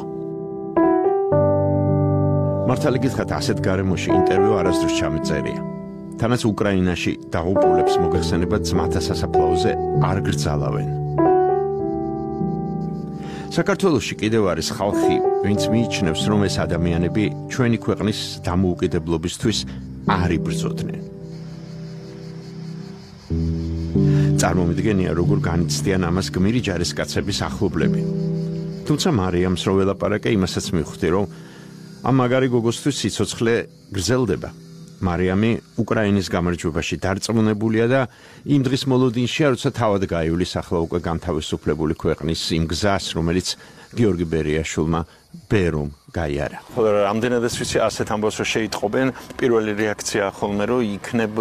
მართალი გითხრათ, ასეთ გარემოში ინტერვიუ არასდროს ჩამეწერია. თანაც უკრაინაში დაღუპულებს მოგეხსენება ძმათა სასაფლაოზე არ გრძალავენ. საქართველოში კიდევ არის ხალხი, ვინც მიიჩნევს, რომ ეს ადამიანები ჩვენი ქვეყნის დამოუკიდებლობისთვის არ იბრძოდნენ. წარმომიდგენია, როგორ განიცდიან ამას გმირი ჯარისკაცების ახლობლები. თუმცა მარიამს რო ველაპარაკე, იმასაც მივხვდი, რომ ამ მაგარი გოგოსთვის სიცოცხლე გრძელდება. მარიამი უკრაინის გამარჯვებაში დარწმუნებულია და იმ დღის მოლოდინშია, როცა თავად გაივლის ახლა უკვე განთავისუფლებული ქვეყნის იმ გზას, რომელიც გიორგი ბერიაშვილმა ბერომ გაიარა. ხოლო რამდენადაც ვიცი, ასეთ ამბავს რომ შეიტყობენ, პირველი რეაქცია ხოლმე რომ იქნებ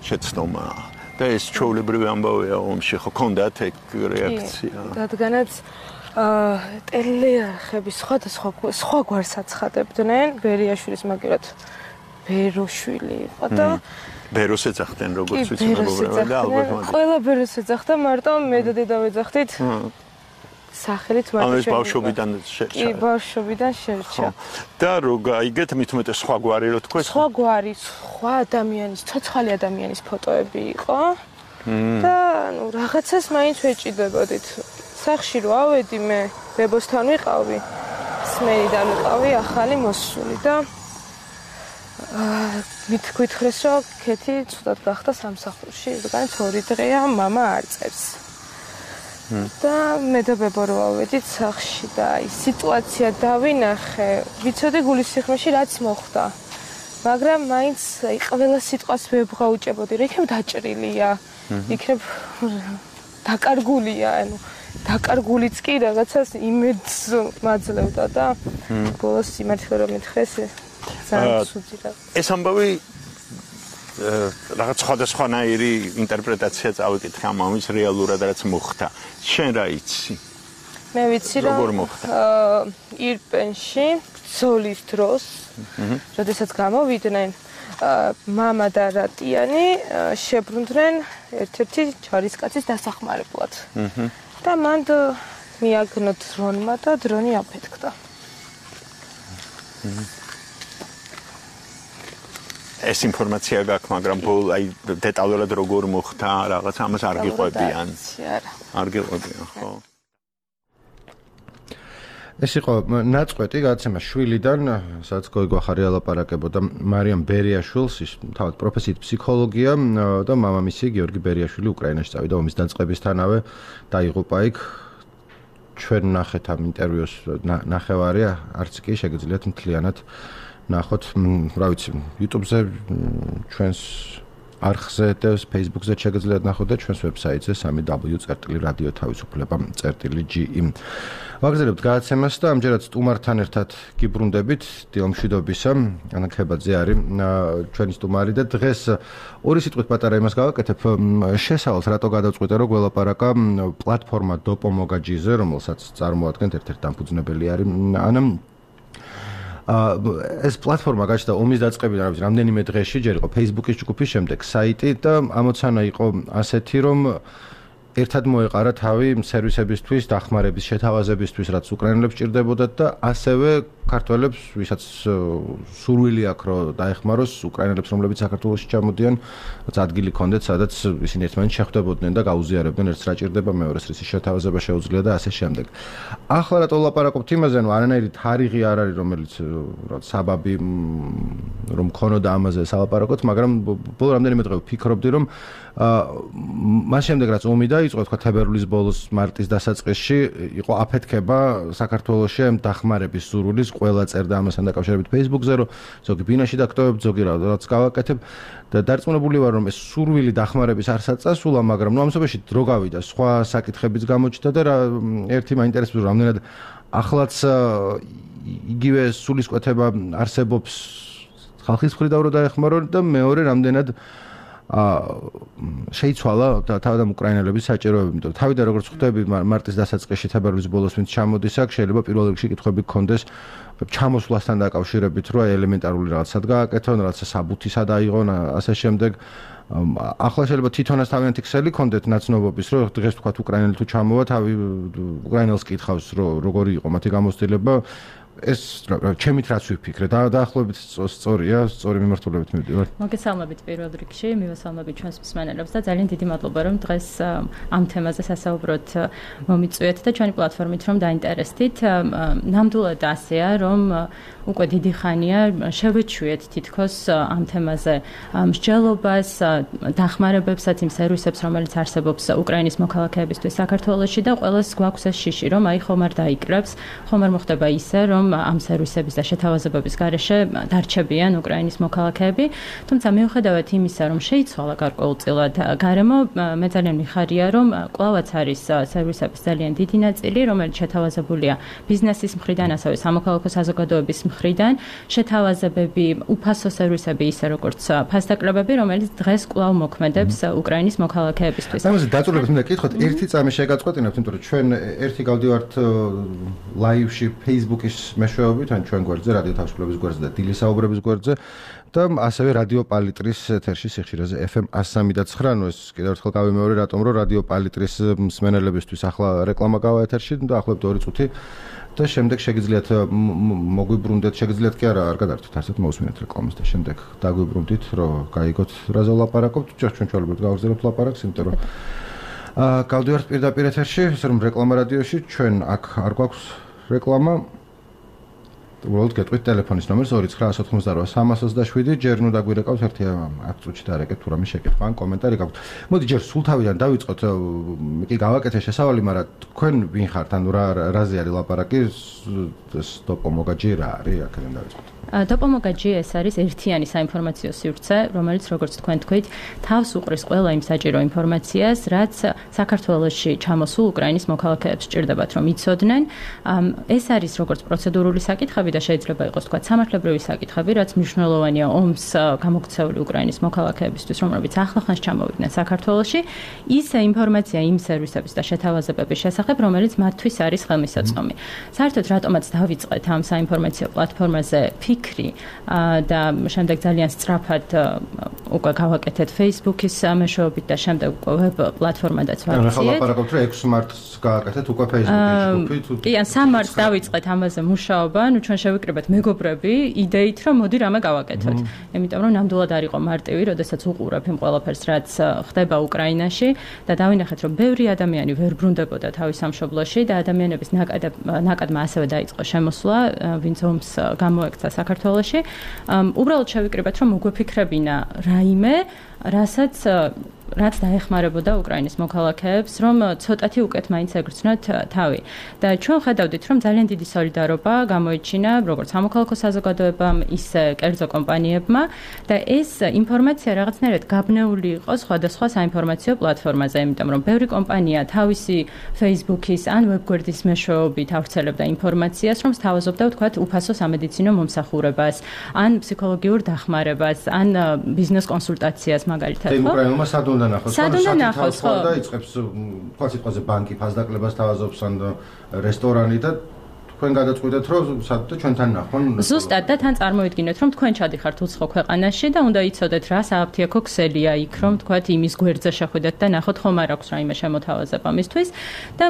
შეცდომა. და ეს ჩვეულებრივი ამბავია ომში, ხო ქონდათ ეგ რეაქცია? რადგანაც ტელეარხების სხვადასხვა სხვა გვარს აცხადებდნენ, ბერიაშვილის მაგერად ბეროშვილი იყო და ბეროს ეძახდნენ როგორც ვიცი მეგობრებო და ალბათ მაგ. ყველა ბეროს ეძახდა, მარტო მე და დედა ვეძახდით. სახელით მარტო. ანუ ეს ბავშვობიდან შერჩა. კი, ბავშვობიდან შერჩა. და რო გაიგეთ, მით უმეტეს სხვა გვარი რო თქვა. სხვა გვარი, სხვა ადამიანის, ცოცხალი ადამიანის ფოტოები იყო. და ანუ რაღაცას მაინც ვეჭიდებოდით. სახში რო ავედი მე, ბებოსთან ვიყავი, სმენიდან ვიყავი ახალი მოსული და მით გითხრეს რომ ქეთი ცუდად გახდა სამსახურში, რადგანაც ორი დღეა მამა არ წერს. და მე და ბებო რო ავედით სახში და აი სიტუაცია დავინახე, ვიცოდი გულისხმოში რაც მოხდა. მაგრამ მაინც აი ყველა სიტყვას ვებღაუჭებოდი, რა იქნებ დაჭრილია, იქნებ დაკარგულია, ანუ დაკარგულიც კი რაღაცას იმედს მაძლევდა და ბოლოს სიმართლე რომ მითხრეს ძალიან ცუდი რა. ეს ამბავი რაღაც სხვადასხვანაირი ინტერპრეტაცია წავიკითხე ამ ამის რეალურად რაც მოხდა. შენ რა იცი? მე ვიცი რომ ირპენში ბრძოლის დროს, როდესაც გამოვიდნენ მამა და რატიანი შებრუნდნენ ერთ-ერთი ჯარისკაცის დასახმარებლად. და მან მიაგნო დრონმა და დრონი აფეთქდა. ეს ინფორმაცია გაქვს, მაგრამ ბოლ აი დეტალურად როგორ მოხდა, რაღაც ამას არ გიყვებიან. არ გიყვებიან, ხო? ეს იყო ნაწყვეტი გადაცემა შვილიდან, სადაც გოიგო ახარი ალაპარაკებოდა მარიამ ბერიაშვილს, ის თავად პროფესიით ფსიქოლოგია და მამამისი გიორგი ბერიაშვილი უკრაინაში წავიდა ომის დაწყებისთანავე, დაიღუპა იქ. ჩვენ ნახეთ ამ ინტერვიუს ნახევარი, არც კი შეგიძლიათ მთლიანად ნახოთ, რა ვიცი, YouTube-ზე ჩვენს არხზე და Facebook-ზე შეგიძლიათ ნახოთ და ჩვენს ვებსაიტზე სამი დაბლიუ წერტილი რადიო თავისუფლება წერტილი ჯი ი. ვაგზავნებთ გადაცემას და ამჯერად სტუმართან ერთად გიბრუნდებით დილომშვიდობისა. ანა ქებაძე არის ჩვენი სტუმარი და დღეს ორი სიტყვით პატარა იმას გავაკეთებ. შესავალს რატო გადავწყვიტე რომ გველაპარაკა პლატფორმა დოპომოგაჯიზე, რომელსაც წარმოადგენთ ერთ-ერთი დამფუძნებელი არის ანა. ეს პლატფორმა გაჩნდა ომის დაწყებიდან, რა ვიცი, რამდენიმე დღეში, ჯერ იყო Facebook-ის ჯგუფი, შემდეგ საიტი და ამოცანა იყო ასეთი, რომ ერთად მოეყარა თავი სერვისებისთვის, დახმარების შეთავაზებისთვის, რაც უკრაინელებს ჭირდებოდათ და ასევე ქართველებს, ვისაც სურვილი აქვს, რომ დაეხმაროს უკრაინელებს, რომლებიც საქართველოში ჩამოდიან, რაც ადგილი ქონდეთ, სადაც ისინი ერთმანეთს შეხვდებოდნენ და გაუზიარებდნენ, ერთს რა ჭირდება, მეორეს რის შეთავაზება შეუძლია და ასე შემდეგ. ახლა რატო ვლაპარაკობთ იმაზე, რომ არანაირი თარიღი არ არის, რომელიც რაც საბაბი რომ ქონოდა ამაზე სალაპარაკოთ, მაგრამ ბოლო რამდენიმე დღე ვფიქრობდი, რომ მას შემდეგ რაც ომი დაიწყო, თქვა თებერვლის ბოლოს, მარტის დასაწყისში იყო აფეთქება საქართველოში ამ დახმარების სურვილის, ყველა წერდა ამასთან დაკავშირებით Facebook-ზე, რომ ზოგი ბინაში დაგტოვებ, ზოგი რაღაც გავაკეთებ და დარწმუნებული ვარ, რომ ეს სურვილი დახმარების არსაც წასულა, მაგრამ ნუ ამ შემთხვევაში დრო გავიდა, სხვა საკითხებიც გამოჩნდა და რა ერთი მაინტერესებს, რამდენად ახლაც იგივე სულისკვეთება არსებობს ხალხის მხრიდან რომ დაეხმარონ და მეორე რამდენად შეიცვალა თავად უკრაინელების საჭიროებები, იმიტომ რომ თავიდან როგორც ხვდები მარტის დასაწყისში თებერვლის ბოლოს ვინც ჩამოდის აქ, შეიძლება პირველ რიგში კითხვები გქონდეს ჩამოსვლასთან დაკავშირებით, რომ ელემენტარული რაღაცად გააკეთონ, რაღაცა საბუთი სად აიღონ, ასე შემდეგ. ახლა შეიძლება თვითონაც თავიანთი ქსელი ქონდეთ ნაცნობობის, რომ დღეს თქვა უკრაინელი თუ ჩამოვა, თავი უკრაინელს კითხავს, რომ როგორი იყო მათი გამოცდილება. ეს ჩემით რაც ვიფიქრე და დაახლოებით სწორია, სწორი მიმართულებით მივდივარ. მოგესალმებით პირველ რიგში, მივესალმებით ჩვენს მსმენელებს და ძალიან დიდი მადლობა რომ დღეს ამ თემაზე სასაუბროთ მომიწვიეთ და ჩვენი პლატფორმით რომ დაინტერესდით. ნამდვილად ასეა, რომ უკვე დიდი ხანია შევეჩვიეთ თითქოს ამ თემაზე მსჯელობას, დახმარებებსაც იმ სერვისებს, რომელიც არსებობს უკრაინის მოქალაქეებისთვის საქართველოში და ყველას გვაქვს ეს შიში, რომ აი ხომ არ დაიკრებს, ხომ არ მოხდება ისე, რომ ამ სერვისების და შეთავაზებების გარეშე დარჩებიან უკრაინის მოქალაქეები, თუმცა მიუხედავად იმისა, რომ შეიცვალა გარკვეულწილად გარემო, მე ძალიან მიხარია, რომ კვლავაც არის სერვისების ძალიან დიდი ნაწილი, რომელიც შეთავაზებულია ბიზნესის მხრიდან, ასევე სამოქალაქო საზოგადოების მხრიდან, შეთავაზებები, უფასო სერვისები, ისე როგორც ფასდაკლებები, რომელიც დღეს კვლავ მოქმედებს უკრაინის მოქალაქეებისთვის. ამაზე დაწურებით მინდა კითხოთ, ერთი წამი შეგაწყვეტინებთ, იმიტომ რომ ჩვენ ერთი გავდივართ ლაივში Facebook-ის მეშვეობით, ან ჩვენ გვერდზე, რადიო თავისუფლების გვერდზე და დილის საუბრების გვერდზე და ასევე რადიო პალიტრის ეთერში სიხშირეზე F M one oh three და nine. ნუ ეს კიდევ ერთხელ გავიმეორე, რატომ რომ რადიო პალიტრის მსმენელებისთვის ახლა რეკლამა გავა ეთერში და ახლობთ ორი წუთი და შემდეგ შეგიძლიათ მოგვიბრუნდეთ, შეგიძლიათ კი არა, არ გადართოთ, ასეთ მოусმინეთ რეკლამას და შემდეგ დაგვიბრუნდით, რომ გაიგოთ რაზე ვლაპარაკობთ. ჩვენ ჩვეულებრივ გავაგზავნებთ ლაპარაკს, იმიტომ რომ აა გავდივართ პირდაპირ ეთერში, ესე რომ რეკლამა რადიოში, ჩვენ აქ არ გვაქვს რეკლამა. უბრალოდ გეტყვით ტელეფონის ნომერს ორი ცხრა ოთხმოცდაოთხ სამას ოცდაშვიდი, ჯერ ნუ დაგვირეკავთ ერთი ათი წუთში დარეკეთ თუ რამე შეკითხვა ან კომენტარი გაქვთ. მოდი ჯერ სულ თავიდან დავიწყოთ, კი გავაკეთე შესავალი, მაგრამ თქვენ ვინ ხართ, ანუ რა რაზე არის ლაპარაკი, ეს დოპომოგაჯი რა არის, აქედან დავიწყოთ. დოპომოგაჯი ეს არის ერთიანი საინფორმაციო სივრცე, რომელიც როგორც თქვენ თქვით, თავს უყრის ყველა იმ საჭირო ინფორმაციას, რაც საქართველოში ჩამოსულ უკრაინის მოქალაქეებს სჭირდებათ რომ იცოდნენ. ეს არის როგორც პროცედურული საკითხები და შეიძლება იყოს თქვა სამართლებრივი საკითხები, რაც მნიშვნელოვანია ომს გამოქცეული უკრაინის მოქალაქეებისთვის, რომლებიც ახლახანს ჩამოვიდნენ საქართველოში, ისე ინფორმაცია იმ სერვისების და შეთავაზებების შესახებ, რომელიც მათთვის არის ხელმისაწვდომი. საერთოდ რატომაც დავიწყეთ ამ საინფორმაციო პლატფორმაზე ფიქრი და შემდეგ ძალიან სწრაფად უკვე გავაკეთეთ Facebook-ის მეშვეობით და შემდეგ უკვე ვებ პლატფორმადაც ვაქციეთ. ახლა ლაპარაკობთ რომ ექვსი მარტს გააკეთეთ უკვე Facebook-ში ჯგუფი. კი, ან სამ მარტს დავიწყეთ ამაზე მუშაობა, ნუ ჩვენ შევიკრიბეთ მეგობრები იდეით რომ მოდი რამე გავაკეთოთ. იმიტომ რომ ნამდვილად არ იყო მარტივი, როდესაც უყურებ იმ ყველაფერს, რაც ხდება უკრაინაში და დავინახეთ რომ ბევრი ადამიანი ვერ ბრუნდებოდა თავის სამშობლოში და ადამიანების ნაკადმა ასევე დაიწყო შემოსვლა, ვინც ომს გამოექცა საქართველოში. უბრალოდ შევიკრიბეთ რომ მოგვეფიქრებინა რაიმე, რასაც რაც დაეხმარებოდა უკრაინის მოქალაქეებს, რომ ცოტათი უკეთ მაინც ეგრძნოთ თავი. და ჩვენ ხედავდით, რომ ძალიან დიდი სოლიდარობა გამოიჩინა როგორც სამოქალაქო საზოგადოებამ, ისე კერძო კომპანიებმა და ეს ინფორმაცია რაღაცნაირად გაბნეული იყო სხვადასხვა საინფორმაციო პლატფორმაზე, იმიტომ რომ ბევრი კომპანია თავისი Facebook-ის ან ვებგვერდის მეშვეობით ავრცელებდა ინფორმაციას, რომ სთავაზობდა ვთქვათ უფასო სამედიცინო მომსახურებას, ან ფსიქოლოგიურ დახმარებას, ან ბიზნეს კონსულტაციას მაგალითად. ხო? სადუნდა ნახოს, ხო? და იწყებს თქვა სიტყვაზე ბანკი ფასდაკლებას თავაზობს ან რესტორანი და თქვენ გადაწყვეტეთ რომ სადღაც ჩვენთან ნახონ ზუსტად და თან წარმოიდგინეთ რომ თქვენ ჩადიხართ უცხო ქვეყანაში და უნდა იცოდეთ რა სააფთიაქო ქსელია იქ რომ თქვათ იმის გვერდზე შეხვიდეთ და ნახოთ ხომ არ აქვს რაიმე შემოთავაზება მისთვის და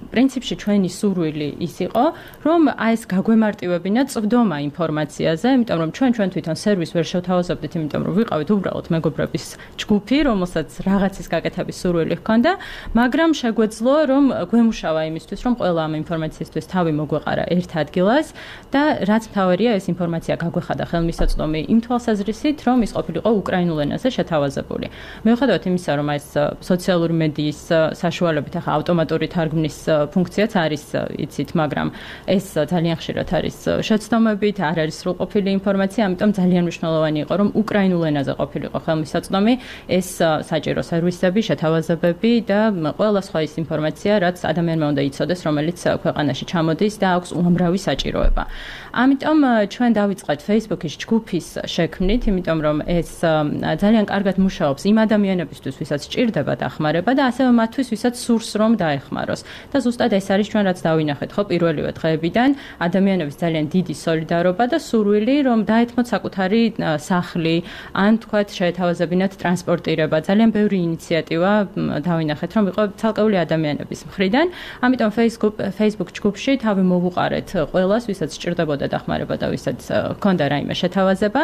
პრინციპში ჩვენი სურვილი ის იყო, რომ აი ეს გაგვემარტივებინა წვდომა ინფორმაციაზე, იმიტომ რომ ჩვენ ჩვენ თვითონ სერვისს ვერ შევთავაზებდით, იმიტომ რომ ვიყავით უბრალოდ მეგობრების ჯგუფი, რომელსაც რაღაცის გაკეთების სურვილი ჰქონდა, მაგრამ შეგვეძლო, რომ გვემუშავა იმისთვის, რომ ყველა ამ ინფორმაციისთვის თავი მოგვეყარა ერთ ადგილას და რაც მთავარია, ეს ინფორმაცია გაგვეხადა ხელმისაწვდომი იმ თვალსაზრისით, რომ ის ყოფილიყო უკრაინულ ენაზე შეთავაზებული. მიუხედავად იმისა, რომ ეს სოციალური მედიის საშუალებით ახლა ავტომატური თარგმნის ფუნქციაც არის იცით, მაგრამ ეს ძალიან ხშირად არის შეცდომებით, არ არის სრულყოფილი ინფორმაცია, ამიტომ ძალიან მნიშვნელოვანი იყო, რომ უკრაინულ ენაზე ყოფილიყო ხელმისაწვდომი ეს საჭირო სერვისები, შეთავაზებები და ყველა სხვა ის ინფორმაცია, რაც ადამიანმა უნდა იცოდეს, რომელიც ქვეყანაში ჩამოდის და აქვს უამრავი საჭიროება. ამიტომ ჩვენ დავიწყეთ Facebook-ის ჯგუფის შექმნით, იმიტომ რომ ეს ძალიან კარგად მუშაობს იმ ადამიანებისთვის, ვისაც სჭირდება დახმარება და ასევე მათთვის, ვისაც სურს რომ დაეხმაროს. და ზუსტად ეს არის ჩვენ რაც დავინახეთ ხო პირველივე დღეებიდან ადამიანების ძალიან დიდი სოლიდარობა და სურვილი რომ დაეთმოთ საკუთარი სახლი ან თქვათ შეეთავაზებინათ ტრანსპორტირება ძალიან ბევრი ინიციატივა დავინახეთ რომ იყო ცალკეული ადამიანების მხრიდან ამიტომ Facebook Facebook ჯგუფში თავი მოვუყარეთ ყველას ვისაც სჭირდებოდა დახმარება და ვისაც ჰქონდა რაიმე შეთავაზება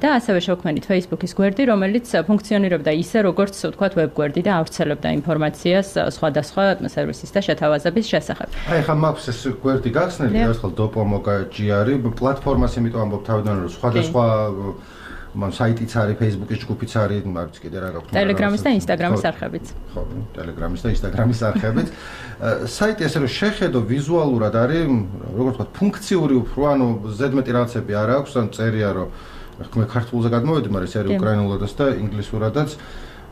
და ასევე შევქმნით Facebook-ის გვერდი რომელიც ფუნქციონირებდა ისე როგორც თქვათ ვებ გვერდი და ავრცელებდა ინფორმაციას სხვადასხვა სერვისის და შეთავაზების შესახებ. აი ხა მაქვს ეს გვერდი გახსნილი, ერთხელ dopomoga.gr პლატფორმას იმიტომ ამბობ თავიდან რომ სხვადასხვა მან საიტიც არის, Facebook-ის ჯგუფიც არის, მარც კიდე რა გაქვს. Telegram-ის და Instagram-ის არხებიც. ხო, Telegram-ის და Instagram-ის არხებიც. საიტი ესე რომ შეხედო ვიზუალურად არის, როგორც ვთქვათ, ფუნქციური უფრო, ანუ ზედმეტი რაღაცები არ აქვს, ან წერია რომ მე ქართულზე გადმოვედი, მაგრამ ეს არის უკრაინულადაც და ინგლისურადაც.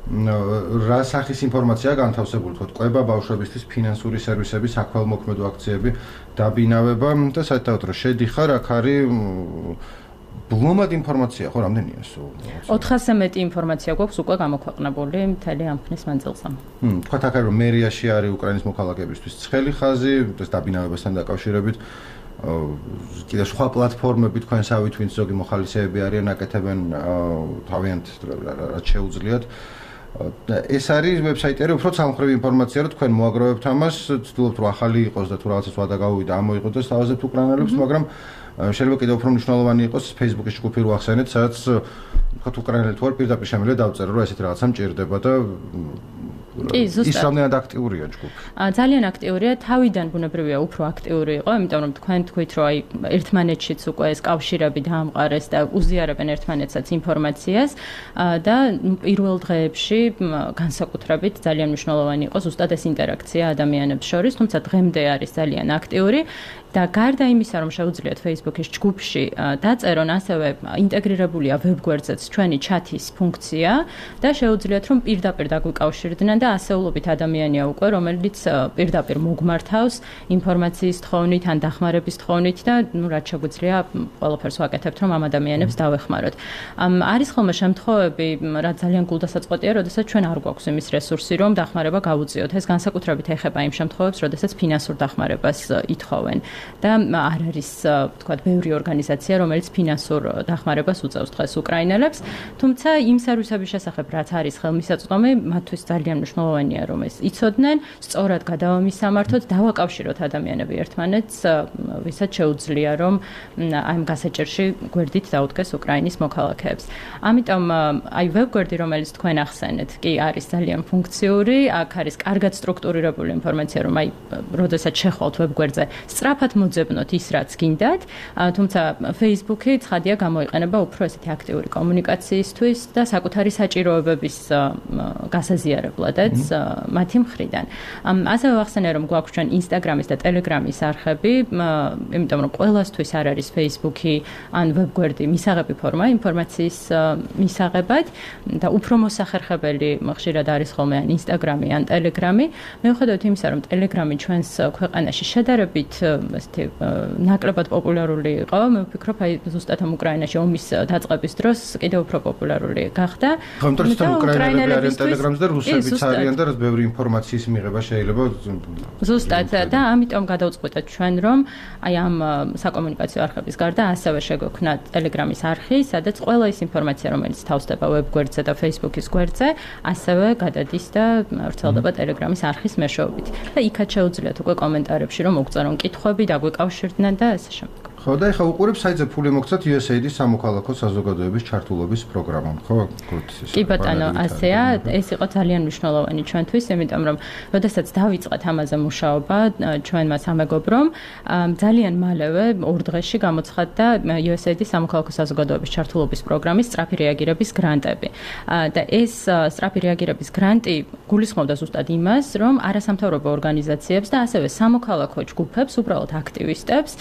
რა სახის ინფორმაციაა განთავსებული, თქო, ყვება ბავშვებისთვის ფინანსური სერვისები, საქველმოქმედო აქციები, დაბინავება და საერთოდ რომ შედიხარ, აქ არის ბლომად ინფორმაცია, ხო, რამდენია ეს? ოთხასზე მეტი ინფორმაცია გვაქვს უკვე გამოქვეყნებული მთელი ამ ხნის მანძილზე. ჰმ, თქვათ აქ რომ მერიაში არის უკრაინის მოქალაქეებისთვის ცხელი ხაზი, ეს დაბინავებასთან დაკავშირებით კიდე სხვა პლატფორმები თქვენსავით, ვინც ზოგი მოხალისეები არიან, აკეთებენ თავიანთ რაც შეუძლიათ. ეს არის ვებსაიტი, უფრო ცალმხრივი ინფორმაცია, რომ თქვენ მოაგროვებთ ამას, ცდილობთ რომ ახალი იყოს და თუ რაღაცას ვადა გავუვიდა, ამოიღოთ და სთავაზებთ უკრაინელებს, მაგრამ შეიძლება კიდევ უფრო მნიშვნელოვანი იყოს Facebook-ის ჯგუფი რო ახსენეთ, სადაც თქვათ უკრაინელი თუ არ პირდაპირ შემიძლია დავწერო, რომ ესეთი რაღაცა მჭირდება და კი, ზუსტად. ის რამდენად აქტიურია ჯგუფი? ძალიან აქტიურია, თავიდან ბუნებრივია უფრო აქტიური იყო, იმიტომ რომ თქვენ თქვით, რომ აი ერთმანეთშიც უკვე ეს კავშირები დაამყარეს და უზიარებენ ერთმანეთსაც ინფორმაციას და პირველ დღეებში განსაკუთრებით ძალიან მნიშვნელოვანი იყო ზუსტად ეს ინტერაქცია ადამიანებს შორის, თუმცა დღემდე არის ძალიან აქტიური. და გარდა იმისა, რომ შეუძლიათ Facebook-ის ჯგუფში დაწერონ, ასევე ინტეგრირებულია ვებგვერდზეც ჩვენი ჩათის ფუნქცია და შეუძლიათ რომ პირდაპირ დაგვიკავშირდნენ და ასეულობით ადამიანია უკვე, რომელიც პირდაპირ მოგმართავს ინფორმაციის თხოვნით ან დახმარების თხოვნით და ნუ რაც შეგვიძლია ყველაფერს ვაკეთებთ, რომ ამ ადამიანებს დავეხმაროთ. არის ხოლმე შემთხვევები, რაც ძალიან გულდასაწყვეტია, როდესაც ჩვენ არ გვაქვს იმის რესურსი, რომ დახმარება გავუწიოთ. ეს განსაკუთრებით ეხება იმ შემთხვევებს, როდესაც ფინანსურ დახმარებას ითხოვენ. და არ არის თქვათ ბევრი ორგანიზაცია რომელიც ფინანსურ დახმარებას უწევს დღეს უკრაინელებს თუმცა იმ სერვისების შესახებ რაც არის ხელმისაწვდომი მათთვის ძალიან მნიშვნელოვანია რომ ეს იცოდნენ სწორად გადავამისამართოთ დავაკავშიროთ ადამიანები ერთმანეთს ვისაც შეუძლია რომ ამ გასაჭირში გვერდით დაუდგეს უკრაინის მოქალაქეებს ამიტომ აი ვებგვერდი რომელიც თქვენ ახსენეთ კი არის ძალიან ფუნქციური აქ არის კარგად სტრუქტურირებული ინფორმაცია რომ აი როდესაც შეხვალთ ვებგვერდზე სწრაფად მოძებნოთ ის რაც გინდათ, თუმცა Facebook-ი ცხადია გამოიყენება უფრო ესეთი აქტიური კომუნიკაციისთვის და საკუთარი საჭიროებების გასაზიარებლადაც მათი მხრიდან. ასევე ვახსენე რომ გვაქვს ჩვენ Instagram-ის და Telegram-ის არხები, იმიტომ რომ ყველასთვის არ არის Facebook-ი ან ვებგვერდი მისაღები ფორმა ინფორმაციის მისაღებად და უფრო მოსახერხებელი ხშირად არის ხოლმე ან Instagram-ი ან Telegram-ი. მიუხედავად იმისა რომ Telegram-ი ჩვენს ქვეყანაში შედარებით ესეთი ნაკლებად პოპულარული იყო. მე ვფიქრობ, აი ზუსტად ამ უკრაინაში ომის დაწყების დროს კიდევ უფრო პოპულარული გახდა. ხომ თორემ უკრაინელები არიან ტელეგრამზე და რუსებიც არიან და რაც ბევრი ინფორმაციის მიღება შეიძლება ზუსტად და ამიტომ გადავწყვეტეთ ჩვენ რომ აი ამ საკომუნიკაციო არხების გარდა ასევე შეგვექმნა ტელეგრამის არხი, სადაც ყველა ის ინფორმაცია, რომელიც თავსდება ვებ გვერდზე და Facebook-ის გვერდზე, ასევე გადადის და ვრცელდება ტელეგრამის არხის მეშვეობით. და იქაც შეუძლიათ უკვე კომენტარებში რომ მოგწერონ კითხვები, დაგვეკავშირდნენ და ასე შემდეგ. ხო და ეხლა უყურებ საიტზე ფული მოგცათ იუ ეს ეი დი სამოქალაქო საზოგადოების ჩართულობის პროგრამამ, ხო? კი ბატონო, ასეა, ეს იყო ძალიან მნიშვნელოვანი ჩვენთვის, იმიტომ რომ როდესაც დავიწყეთ ამაზე მუშაობა ჩვენმა სამეგობრომ, ძალიან მალევე ორ დღეში გამოცხადდა იუ ეს ეი დი სამოქალაქო საზოგადოების ჩართულობის პროგრამის სწრაფი რეაგირების გრანტები. და ეს სწრაფი რეაგირების გრანტი გულისხმობდა ზუსტად იმას, რომ არასამთავრობო ორგანიზაციებს და ასევე სამოქალაქო ჯგუფებს, უბრალოდ აქტივისტებს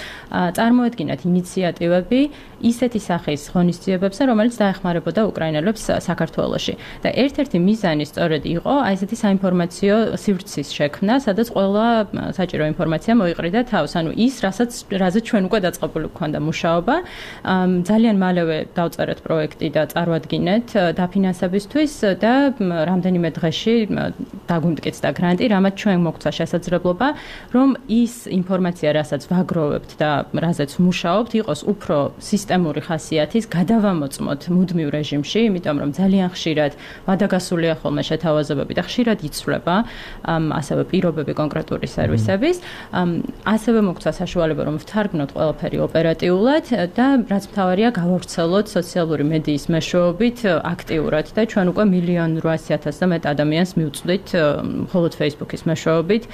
წარმოედგინათ ინიციატივები ისეთი სახის ღონისძიებებზე, რომელიც დაეხმარებოდა უკრაინელებს საქართველოში. და ერთ-ერთი მიზანი სწორედ იყო აი ესეთი საინფორმაციო სივრცის შექმნა, სადაც ყველა საჭირო ინფორმაცია მოიყრიდა თავს, ანუ ის, რასაც რაზე ჩვენ უკვე დაწყებული გვქონდა მუშაობა. ძალიან მალევე დავწერეთ პროექტი და წარვადგინეთ დაფინანსებისთვის და რამდენიმე დღეში დაგვიმტკიცდა გრანტი, რამაც ჩვენ მოგცა შესაძლებლობა, რომ ის ინფორმაცია, რასაც ვაგროვებთ და რაზეც მუშაობთ, იყოს უფრო სისტემური ხასიათის, გადავამოწმოთ მუდმივ რეჟიმში, იმიტომ რომ ძალიან ხშირად ვადაგასულია ხოლმე შეთავაზებები და ხშირად იცვლება ასევე პირობები კონკრეტული სერვისების. ასევე მოგცა საშუალება, რომ ვთარგმნოთ ყველაფერი ოპერატიულად და რაც მთავარია, გავავრცელოთ სოციალური მედიის მეშვეობით აქტიურად და ჩვენ უკვე მილიონ რვაასი ათასზე მეტ ადამიანს მივწვდით მხოლოდ Facebook-ის მეშვეობით,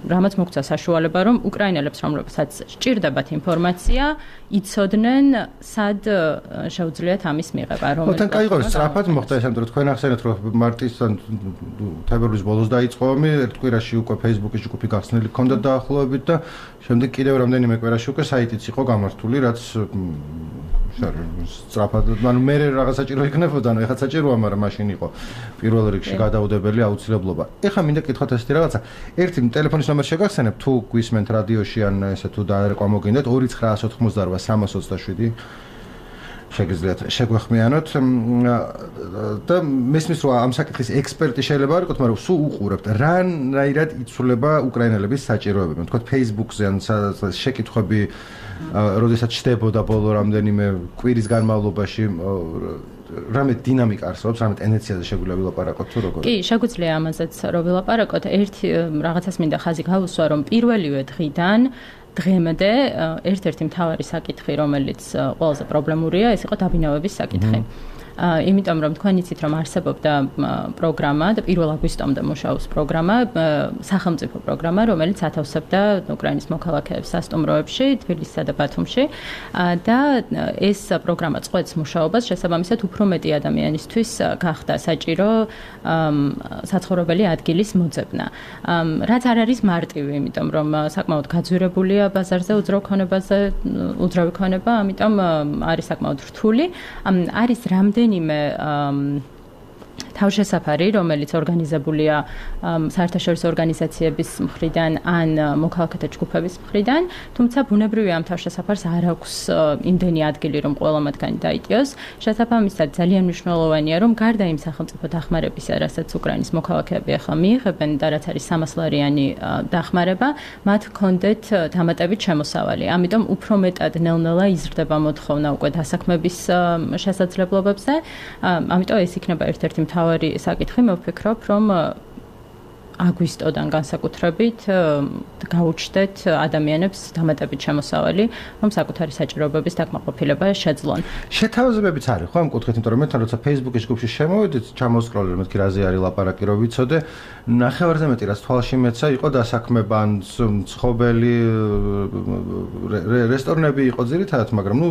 რამაც მოგცა საშუალება, რომ უკრაინელებს, რომლებსაც სჭირდებათ ინფორმაცია, იცოდნენ, სად შეუძლიათ ამის მიღება, რომ მოთან კაიღო სწრაფად მოხდა ეს, ამიტომ თქვენ ახსენეთ, რომ მარტისთან თებერვლის ბოლოს დაიწყო ომი, ერთ კვირაში უკვე Facebook-ის ჯგუფი გახსნილი ჰქონდა დაახლოებით და შემდეგ კიდევ რამდენიმე კვირაში უკვე საიტიც იყო გამართული, რაც სწრაფად, ანუ მე რაღაც საჭირო იქნებოდა, ანუ ეხლა საჭიროა, მაგრამ მაშინ იყო პირველ რიგში გადაუდებელი აუცილებლობა. ეხლა მინდა კითხოთ ესეთი რაღაცა. ერთი ტელეფონის ნომერი შეგახსენებ, თუ გვისმენთ რადიოში ან ესე თუ დაერკვა მოგინდათ ორი ცხრაას ოთხმოცდარვა სამას ოცდაშვიდი შეგიძლიათ შეგვეხმიანოთ და მესმის რომ ამ საკითხის ექსპერტი შეიძლება არ იყოთ, მაგრამ სულ უყურებთ რანაირად იცვლება უკრაინელების საჭიროებები. თქვათ Facebook-ზე ან შეკითხვები როდესაც ჩდებოდა ბოლო რამდენიმე კვირის განმავლობაში რამე დინამიკა არსებობს, რამე ტენდენციაზე შეგვიძლია ვილაპარაკოთ თუ როგორ? კი, შეგვიძლია ამაზეც რომ ვილაპარაკოთ. ერთი რაღაცას მინდა ხაზი გავუსვა, რომ პირველივე დღიდან დღემდე ერთ-ერთი მთავარი საკითხი, რომელიც ყველაზე პრობლემურია, ეს იყო დაბინავების საკითხი. იმიტომ რომ თქვენ იცით რომ არსებობდა პროგრამა და პირველ აგვისტომდე მუშაობს პროგრამა, სახელმწიფო პროგრამა, რომელიც ათავსებდა უკრაინის მოქალაქეებს სასტუმროებში, თბილისსა და ბათუმში და ეს პროგრამა წყვეტს მუშაობას, შესაბამისად უფრო მეტი ადამიანისთვის გახდა საჭირო საცხოვრებელი ადგილის მოძებნა. რაც არ არის მარტივი, იმიტომ რომ საკმაოდ გაძვირებულია ბაზარზე უძრავ ქონებაზე, უძრავი ქონება, ამიტომ არის საკმაოდ რთული. არის რამდენი ნიმე თავშესაფარი, რომელიც ორგანიზებულია საერთაშორისო ორგანიზაციების მხრიდან ან მოქალაქეთა ჯგუფების მხრიდან, თუმცა ბუნებრივია ამ თავშესაფარს არ აქვს იმდენი ადგილი, რომ ყველა მათგანი დაიტიოს. შესაბამისად, ძალიან მნიშვნელოვანია, რომ გარდა იმ სახელმწიფო დახმარებისა, რასაც უკრაინის მოქალაქეები ახლა მიიღებენ და რაც არის სამასლარიანი დახმარება, მათ ჰქონდეთ დამატებით შემოსავალი. ამიტომ უფრო მეტად ნელ-ნელა იზრდება მოთხოვნა უკვე დასაქმების შესაძლებლობებზე. ამიტომ ეს იქნება ერთ-ერთი მთავარი საკითხი, მე ვფიქრობ, რომ აგვისტოდან განსაკუთრებით გაუჩნდეთ ადამიანებს დამატებით შემოსავალი, რომ საკუთარი საჭიროებების დაკმაყოფილება შეძლონ. შეთავაზებებიც არის, ხო, ამ კუთხით, იმიტომ რომ მე თან როცა Facebook-ის ჯგუფში შემოვიდით, ჩამოსკროლე, მეთქი რაზე არის ლაპარაკი, რომ ვიცოდე, ნახევარზე მეტი რაც თვალში მეცა, იყო დასაქმება, ან მცხოველი რესტორნები იყო ძირითადად, მაგრამ ნუ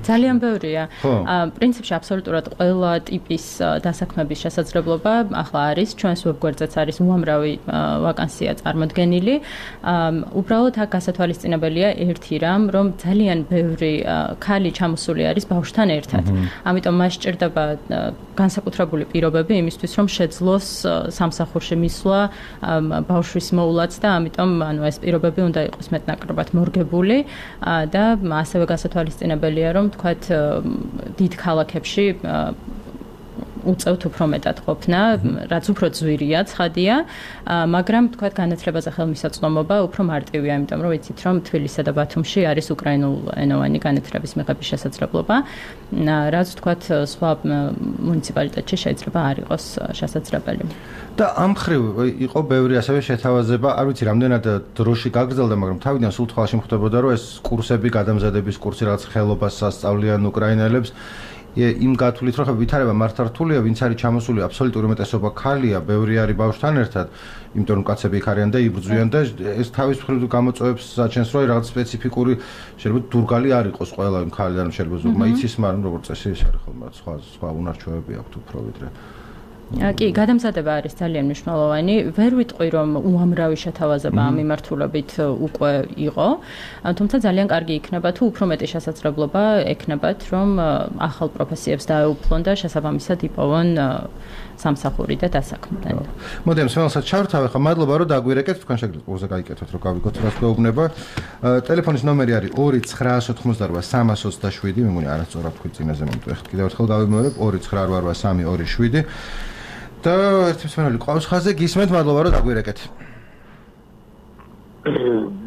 ძალიან ბევრია. პრინციპში აბსოლუტურად ყველა ტიპის დასაქმების შესაძლებლობა ახლა არის, ჩვენს ვებგვერდზეც არის უამრავი ვაკანსია წარმოდგენილი. უბრალოდ აქ გასათვალისწინებელია ერთი რამ, რომ ძალიან ბევრი ქალი ჩამოსული არის ბავშვთან ერთად. ამიტომ მას სჭირდება განსაკუთრებული პირობები იმისთვის, რომ შეძლოს სამსახურში მისვლა, ბავშვის მოულაც და ამიტომ ანუ ეს პირობები უნდა იყოს მეტნაკლებად მორგებული და ასევე გასათვალისწინებელია, რომ თქვათ დიდ ქალაქებში უწევთ უფრო მეტად ყოფნა, რაც უფრო ძვირია, ცხადია, მაგრამ თქვათ განათლებაზე ხელმისაწვდომობა უფრო მარტივია, იმიტომ რომ ვიცით, რომ თბილისსა და ბათუმში არის უკრაინულენოვანი განათლების მიღების შესაძლებლობა, რაც თქვათ სხვა მუნიციპალიტეტში შეიძლება არ იყოს შესაძლებელი. და ამ მხრივ იყო ბევრი ასევე შეთავაზება, არ ვიცი, რამდენად დროში გაგრძელდა, მაგრამ თავიდან სულ თვალში მხდებოდა, რომ ეს კურსები, გადამზადების კურსი, რაც ხელობას ასწავლიან უკრაინელებს, იმ გათვლით, რომ ვითარება მართართულია, ვინც არის ჩამოსული აბსოლუტური უმეტესობა ქალია, ბევრი არის ბავშვთან ერთად, იმიტომ რომ კაცები იქ არიან და იბრძვიან და ეს თავის მხრივ გამოწვევებს საჩენს, რომ რაღაც სპეციფიკური შეიძლება დურგალი არ იყოს ყველა იმ ქალიდან, შეიძლება ზოგმა იცის, მაგრამ როგორც წესი ის არის ხოლმე სხვა სხვა უნარჩვევები აქვთ უფრო ვიდრე. კი, გადამზადება არის ძალიან მნიშვნელოვანი. ვერ ვიტყვი, რომ უამრავი შეთავაზება ამ მიმართულებით უკვე იყო, თუმცა ძალიან კარგი იქნება თუ უფრო მეტი შესაძლებლობა ექნებათ, რომ ახალ პროფესიებს დაეუფლონ და შესაბამისად იპოვონ სამსახური და დასაქმდნენ. მოდი ამ სმელსაც ჩავრთავ, ხა მადლობა რომ დაგვირეკეთ, თქვენ შეგიძლიათ პოზა გაიკეთოთ, რომ გავიგოთ რას გვეუბნება. ტელეფონის ნომერი არის ორი ცხრაასი ოთხმოცდაორვა სამას ოცდაშვიდი, მე მგონი არასწორად თქვი წინაზე, მომწ ეხლა კიდევ ერთხელ გავიმეორებ ორი ცხრაასი ოცდაორვა სამი ორი შვიდი. და ერთი მსმენელი ყავს ხაზზე, გისმენთ, მადლობა რომ დაგვირეკეთ.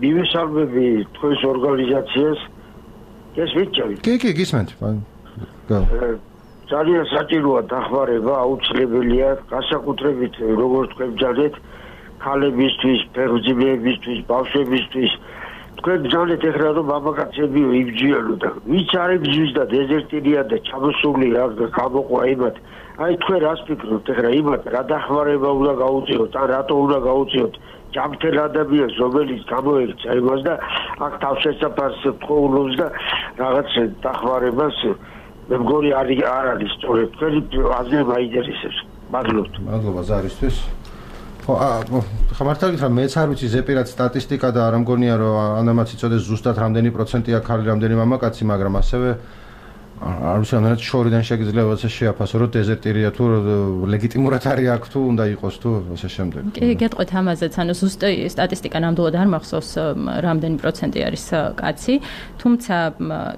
მივესალმები თქვენს ორგანიზაციას. გესმით ჩავით? კი, კი, გისმენთ. ძალიან საჭიროა დახმარება, აუცილებელია, განსაკუთრებით როგორც თქვენ ბრძანეთ, ქალებისთვის, ფეხმძიმეებისთვის, ბავშვებისთვის. თქვენ ბრძანეთ ეხლა რომ მამაკაცები იბრძვიანო და ვინც არ იბრძვის და დეზერტირია და ჩამოსული რა გამოყვა იმათ. აი თქვენ რას ფიქრობთ ეხლა იმათ რა დახმარება უნდა გაუწიოთ ან რატო უნდა გაუწიოთ ჯანმრთელ ადამიანს რომელიც გამოექცა იმას და აქ თავშესაფარს თხოვნობს და რაღაც დახმარებას მე მგონი არ არ არის სწორედ თქვენი აზრი მაინტერესებს. მადლობთ. მადლობა ზარისთვის. ხო, ხა მართალია რა მეც არ ვიცი ზეპირად სტატისტიკა და არ მგონია რომ ანამაც იწოდეს ზუსტად რამდენი პროცენტია ქალი, რამდენი მამაკაცი, მაგრამ ასევე არ ვიცი რამდენად შორიდან შეგიძლია ასე შეაფასო რომ დეზერტირია თუ ლეგიტიმურად არის აქ თუ უნდა იყოს თუ ასე შემდეგ. კი, გეტყვით ამაზეც, ანუ ზუსტი სტატისტიკა ნამდვილად არ მახსოვს რამდენი პროცენტი არის კაცი, თუმცა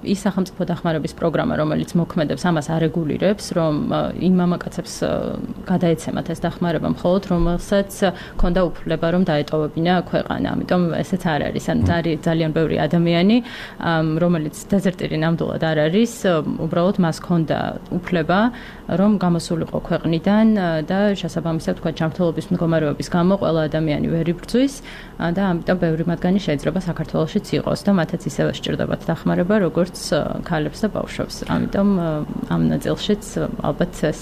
ის სახელმწიფო დახმარების პროგრამა, რომელიც მოქმედებს, ამას არეგულირებს, რომ იმ მამაკაცებს გადაეცემათ ეს დახმარება მხოლოდ რომელსაც ქონდა უფლება რომ დაეტოვებინა ქვეყანა. ამიტომ ესეც არ არის, ანუ ძალიან ბევრი ადამიანი, რომელიც დეზერტირი ნამდვილად არ არის, უბრალოდ მას ჰქონდა უფლება რომ გამოსულიყო ქვეყნიდან და შესაბამისად თქვა ჯანმრთელობის მდგომარეობის გამო ყველა ადამიანი ვერ იბრძვის და ამიტომ ბევრი მათგანი შეიძლება საქართველოშიც იყოს და მათაც ისევე სჭირდებათ დახმარება როგორც ქალებს და ბავშვებს. ამიტომ ამ ნაწილშიც ალბათ ეს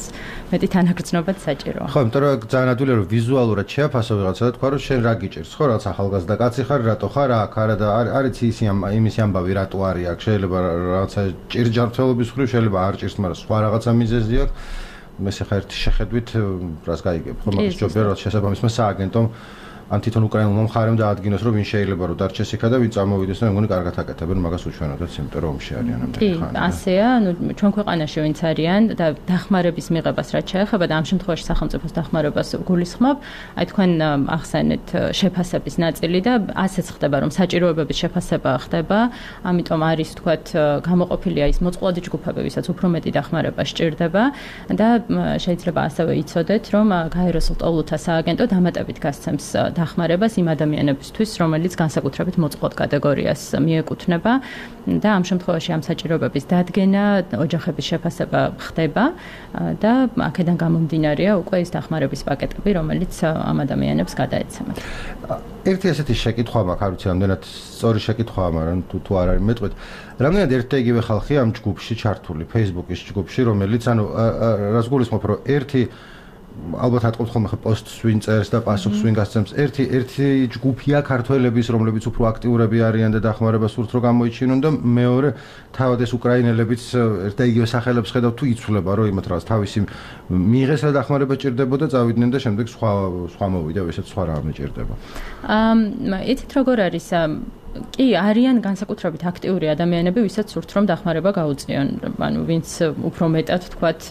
მეტი თანაგრძნობაც საჭიროა. ხო, იმიტომ რომ ძალიან ადვილია რომ ვიზუალურად შეაფასო ვიღაცა და თქვა რომ შენ რა გიჭირს, ხო, რაც ახალგაზრდა კაცი ხარ, რატო ხარ აქ, არა და არის ისი იმის ამბავი რატო არის აქ, შეიძლება რაღაცა ჭირჯანმრთელობის ხრივ შეიძლება არ ჭირს, მაგრამ სხვა რაღაცა მიზეზი აქვს. მესე ხა ერთი შეხედვით რას გაიგებ, ხო, მაგას ჯობია რომ შესაბამისმა სააგენტომ ან თვითონ უკრაინულმა მხარემ დაადგინოს რომ ვინ შეიძლება რომ დარჩეს იქა და ვინ წარმოვიდეს და მე მგონი კარგად აკეთებენ მაგას უჩვენოდაც, იმიტომ რომ ომში არიან ამდენი ხანი. კი, ასეა, ანუ ჩვენ ქვეყანაში ვინც არიან და დახმარების მიღებას რაც შეეხება და ამ შემთხვევაში სახელმწიფოს დახმარებას გულისხმობ, აი თქვენ ახსენეთ შეფასების ნაწილი და ასეც ხდება რომ საჭიროებების შეფასება ხდება, ამიტომ არის თქვათ გამოყოფილია ის მოწყვლადი ჯგუფები, ვისაც უფრო მეტი დახმარება სჭირდება და შეიძლება ასევე იცოდეთ რომ გაეროს ლტოლუთა სააგენტო დამატებით გასცემს დახმარებას იმ ადამიანებისთვის, რომელიც განსაკუთრებით მოწყვლად კატეგორიას მიეკუთვნება და ამ შემთხვევაში ამ საჭიროებების დადგენა, ოჯახების შეფასება ხდება და აქედან გამომდინარეა უკვე ის დახმარების პაკეტები, რომელიც ამ ადამიანებს გადაეცემათ. ერთი ასეთი შეკითხვა მაქვს, არ ვიცი, რამდენად სწორი შეკითხვაა, მაგრამ თუ თუ არ არის მეტყვით. რამდენად ერთ და იგივე ხალხია ამ ჯგუფში ჩართული, Facebook-ის ჯგუფში, რომელიც ანუ რას გულისხმობ, რომ ერთი ალბათ ატყობთ ხოლმე ხა პოსტს ვინ წერს და პასუხს ვინ გასცემს. ერთი ერთი ჯგუფია ქართველების, რომლებიც უფრო აქტიურები არიან და დახმარებას სურთ რომ გამოიჩინონ და მეორე თავად ეს უკრაინელებიც ერთ და იგივე სახელებს ხედავთ თუ იცვლება რომ იმათ რაღაც თავისი მიიღეს და დახმარება ჭირდებოდა წავიდნენ და შემდეგ სხვა სხვა მოვიდა ესეც სხვა რამე ჭირდება. აა იცით როგორ არის კი არიან განსაკუთრებით აქტიური ადამიანები, ვისაც სურთ რომ დახმარება გაუწიონ. ანუ ვინც უფრო მეტად თქვათ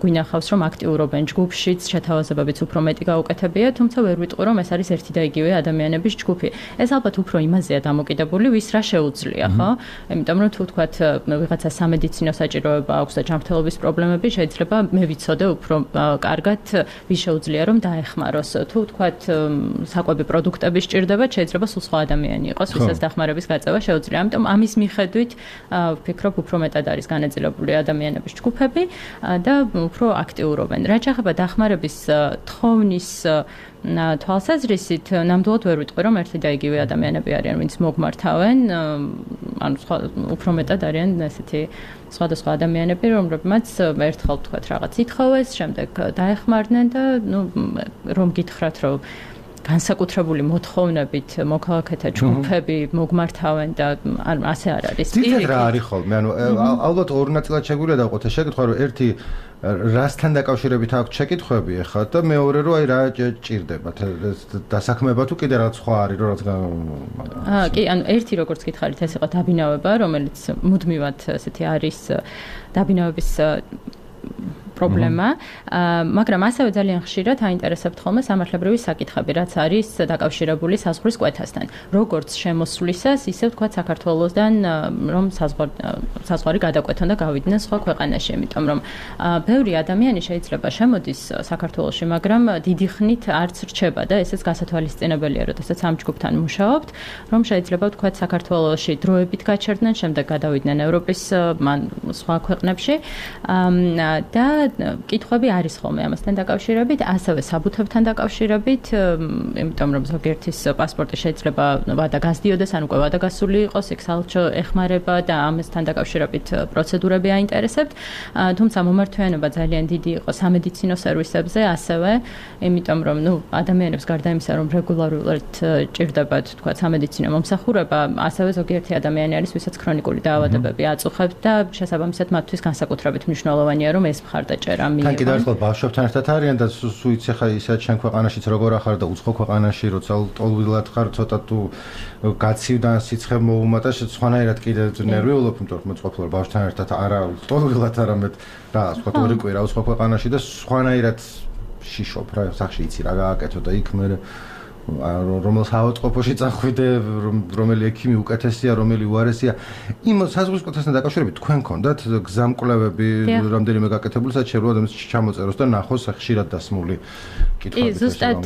გვინახავს რომ აქტიურობენ ჯგუფშიც, შეთავაზებებიც უფრო მეტი გაუკეთებია, თუმცა ვერ ვიტყვი რომ ეს არის ერთი და იგივე ადამიანების ჯგუფი. ეს ალბათ უფრო იმაზეა დამოკიდებული, ვის რა შეუძლია, ხო? იმიტომ რომ თუ თქვათ ვიღაცა სამედიცინო საჭიროება აქვს და ჯანმრთელობის პრობლემები, შეიძლება მე ვიცოდე უფრო კარგად ვის შეუძლია რომ დაეხმაროს. თუ თქვათ საკვები პროდუქტები სჭირდება, შეიძლება სულ სხვა ადამიანი იყოს. ვისაც დახმარების გაწევა შეუძლია. ამიტომ ამის მიხედვით ვფიქრობ უფრო მეტად არის განაწილებული ადამიანების ჯგუფები და უფრო აქტიურობენ. რაც შეეხება დახმარების თხოვნის თვალსაზრისით, ნამდვილად ვერ ვიტყვი რომ ერთი და იგივე ადამიანები არიან, ვინც მოგმართავენ, ანუ უფრო მეტად არიან ესეთი სხვადასხვა ადამიანები, რომლებმაც ერთხელ თქვათ რაღაც ითხოვეს, შემდეგ დაეხმარნენ და ნუ რომ გითხრათ რომ განსაკუთრებული მოთხოვნებით მოქალაქეთა ჯგუფები მოგმართავენ და ასე არ არის. ძირითადად რა არის ხოლმე? ანუ ალბათ ორ ნაწილად შეგვიძლია დავყოთ ეს შეკითხვა, რომ ერთი რასთან დაკავშირებით აქვს შეკითხვები ახლა და მეორე რომ აი რა ჭირდებათ დასაქმება თუ კიდე რაღაც სხვა არის რომ რაღაც აა კი, ანუ ერთი როგორც გითხარით ეს იყო დაბინავება, რომელიც მუდმივად ესეთი არის დაბინავების პრობლემა, მაგრამ ასევე ძალიან ხშირად აინტერესებთ ხოლმე სამართლებრივი საკითხები, რაც არის დაკავშირებული საზღვრის კვეთასთან. როგორც შემოსვლისას, ისე ვთქვათ საქართველოსდან რომ საზღვარი გადაკვეთონ და გავიდნენ სხვა ქვეყანაში, იმიტომ რომ ბევრი ადამიანი შეიძლება შემოდის საქართველოში, მაგრამ დიდი ხნით არც რჩება და ესეც გასათვალისწინებელია, როდესაც ამ ჯგუფთან მუშაობთ, რომ შეიძლება ვთქვათ საქართველოში დროებით გაჩერდნენ, შემდეგ გადავიდნენ ევროპის მან სხვა ქვეყნებში და კითხვები არის ხოლმე ამასთან დაკავშირებით, ასევე საბუთებთან დაკავშირებით, იმიტომ რომ ზოგიერთის პასპორტი შეიძლება ვადა გასდიოდეს, ან უკვე ვადა გასული იყოს, იქ საელჩო ეხმარება და ამასთან დაკავშირებით პროცედურები აინტერესებთ. თუმცა მომართვიანობა ძალიან დიდი იყო სამედიცინო სერვისებზე, ასევე, იმიტომ რომ ნუ ადამიანებს გარდა იმისა, რომ რეგულარულად ჭირდებათ, თქვა სამედიცინო მომსახურება, ასევე ზოგიერთი ადამიანი არის, ვისაც ქრონიკული დაავადებები აწუხებთ და შესაბამისად მათთვის განსაკუთრებით მნიშვნელოვანია, რომ ეს მხარდაჭერა მიიღონ. თან კიდევ ერთხელ ბავშვებთან ერთად არიან და სუიც ახლა ისეთ შენ ქვეყანაშიც როგორ ახარ და უცხო ქვეყანაში, როცა ტოლვილად ხარ, ცოტა თუ გაცივდა სიცხე მოუმატა, სხვანაირად კიდე ნერვიულობ, იმიტომ რომ მოწყობილ ბავშვთან ერთად არა ტოლვილად არამედ რა, სხვა ორი კვირა უცხო ქვეყანაში და სხვანაირად შიშობ რა, სახში იცი რა გააკეთო და იქ მე რომელ საავადმყოფოში წახვიდე, რომელი ექიმი უკეთესია, რომელი უარესია. იმ საზღვრის კვეთასთან დაკავშირებით თქვენ გქონდათ გზამკვლევები რამდენიმე გაკეთებული, სადაც შეიძლება ადამიანს ჩამოწეროს და ნახოს ხშირად დასმული კითხვები. კი, ზუსტად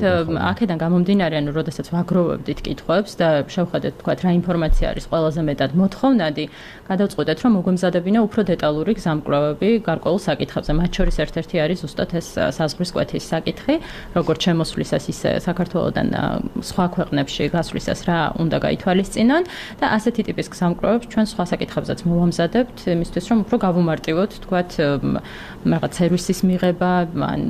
აქედან გამომდინარე, ანუ როდესაც ვაგროვებდით კითხვებს და შევხედეთ თქვათ რა ინფორმაცია არის ყველაზე მეტად მოთხოვნადი, გადავწყვეტეთ რომ მოგვემზადებინა უფრო დეტალური გზამკვლევები გარკვეულ საკითხებზე. მათ შორის ერთ-ერთი არის ზუსტად ეს საზღვრის კვეთის საკითხი, როგორც შემოსვლისას ისე საქართველოსდან სხვა ქვეყნებში გასვლისას რა უნდა გაითვალისწინონ და ასეთი ტიპის გზამკვლევებს ჩვენ სხვა საკითხებზეც მოვამზადებთ, იმისთვის რომ უფრო გავუმარტივოთ, თქვათ, რაღაც სერვისის მიღება, ან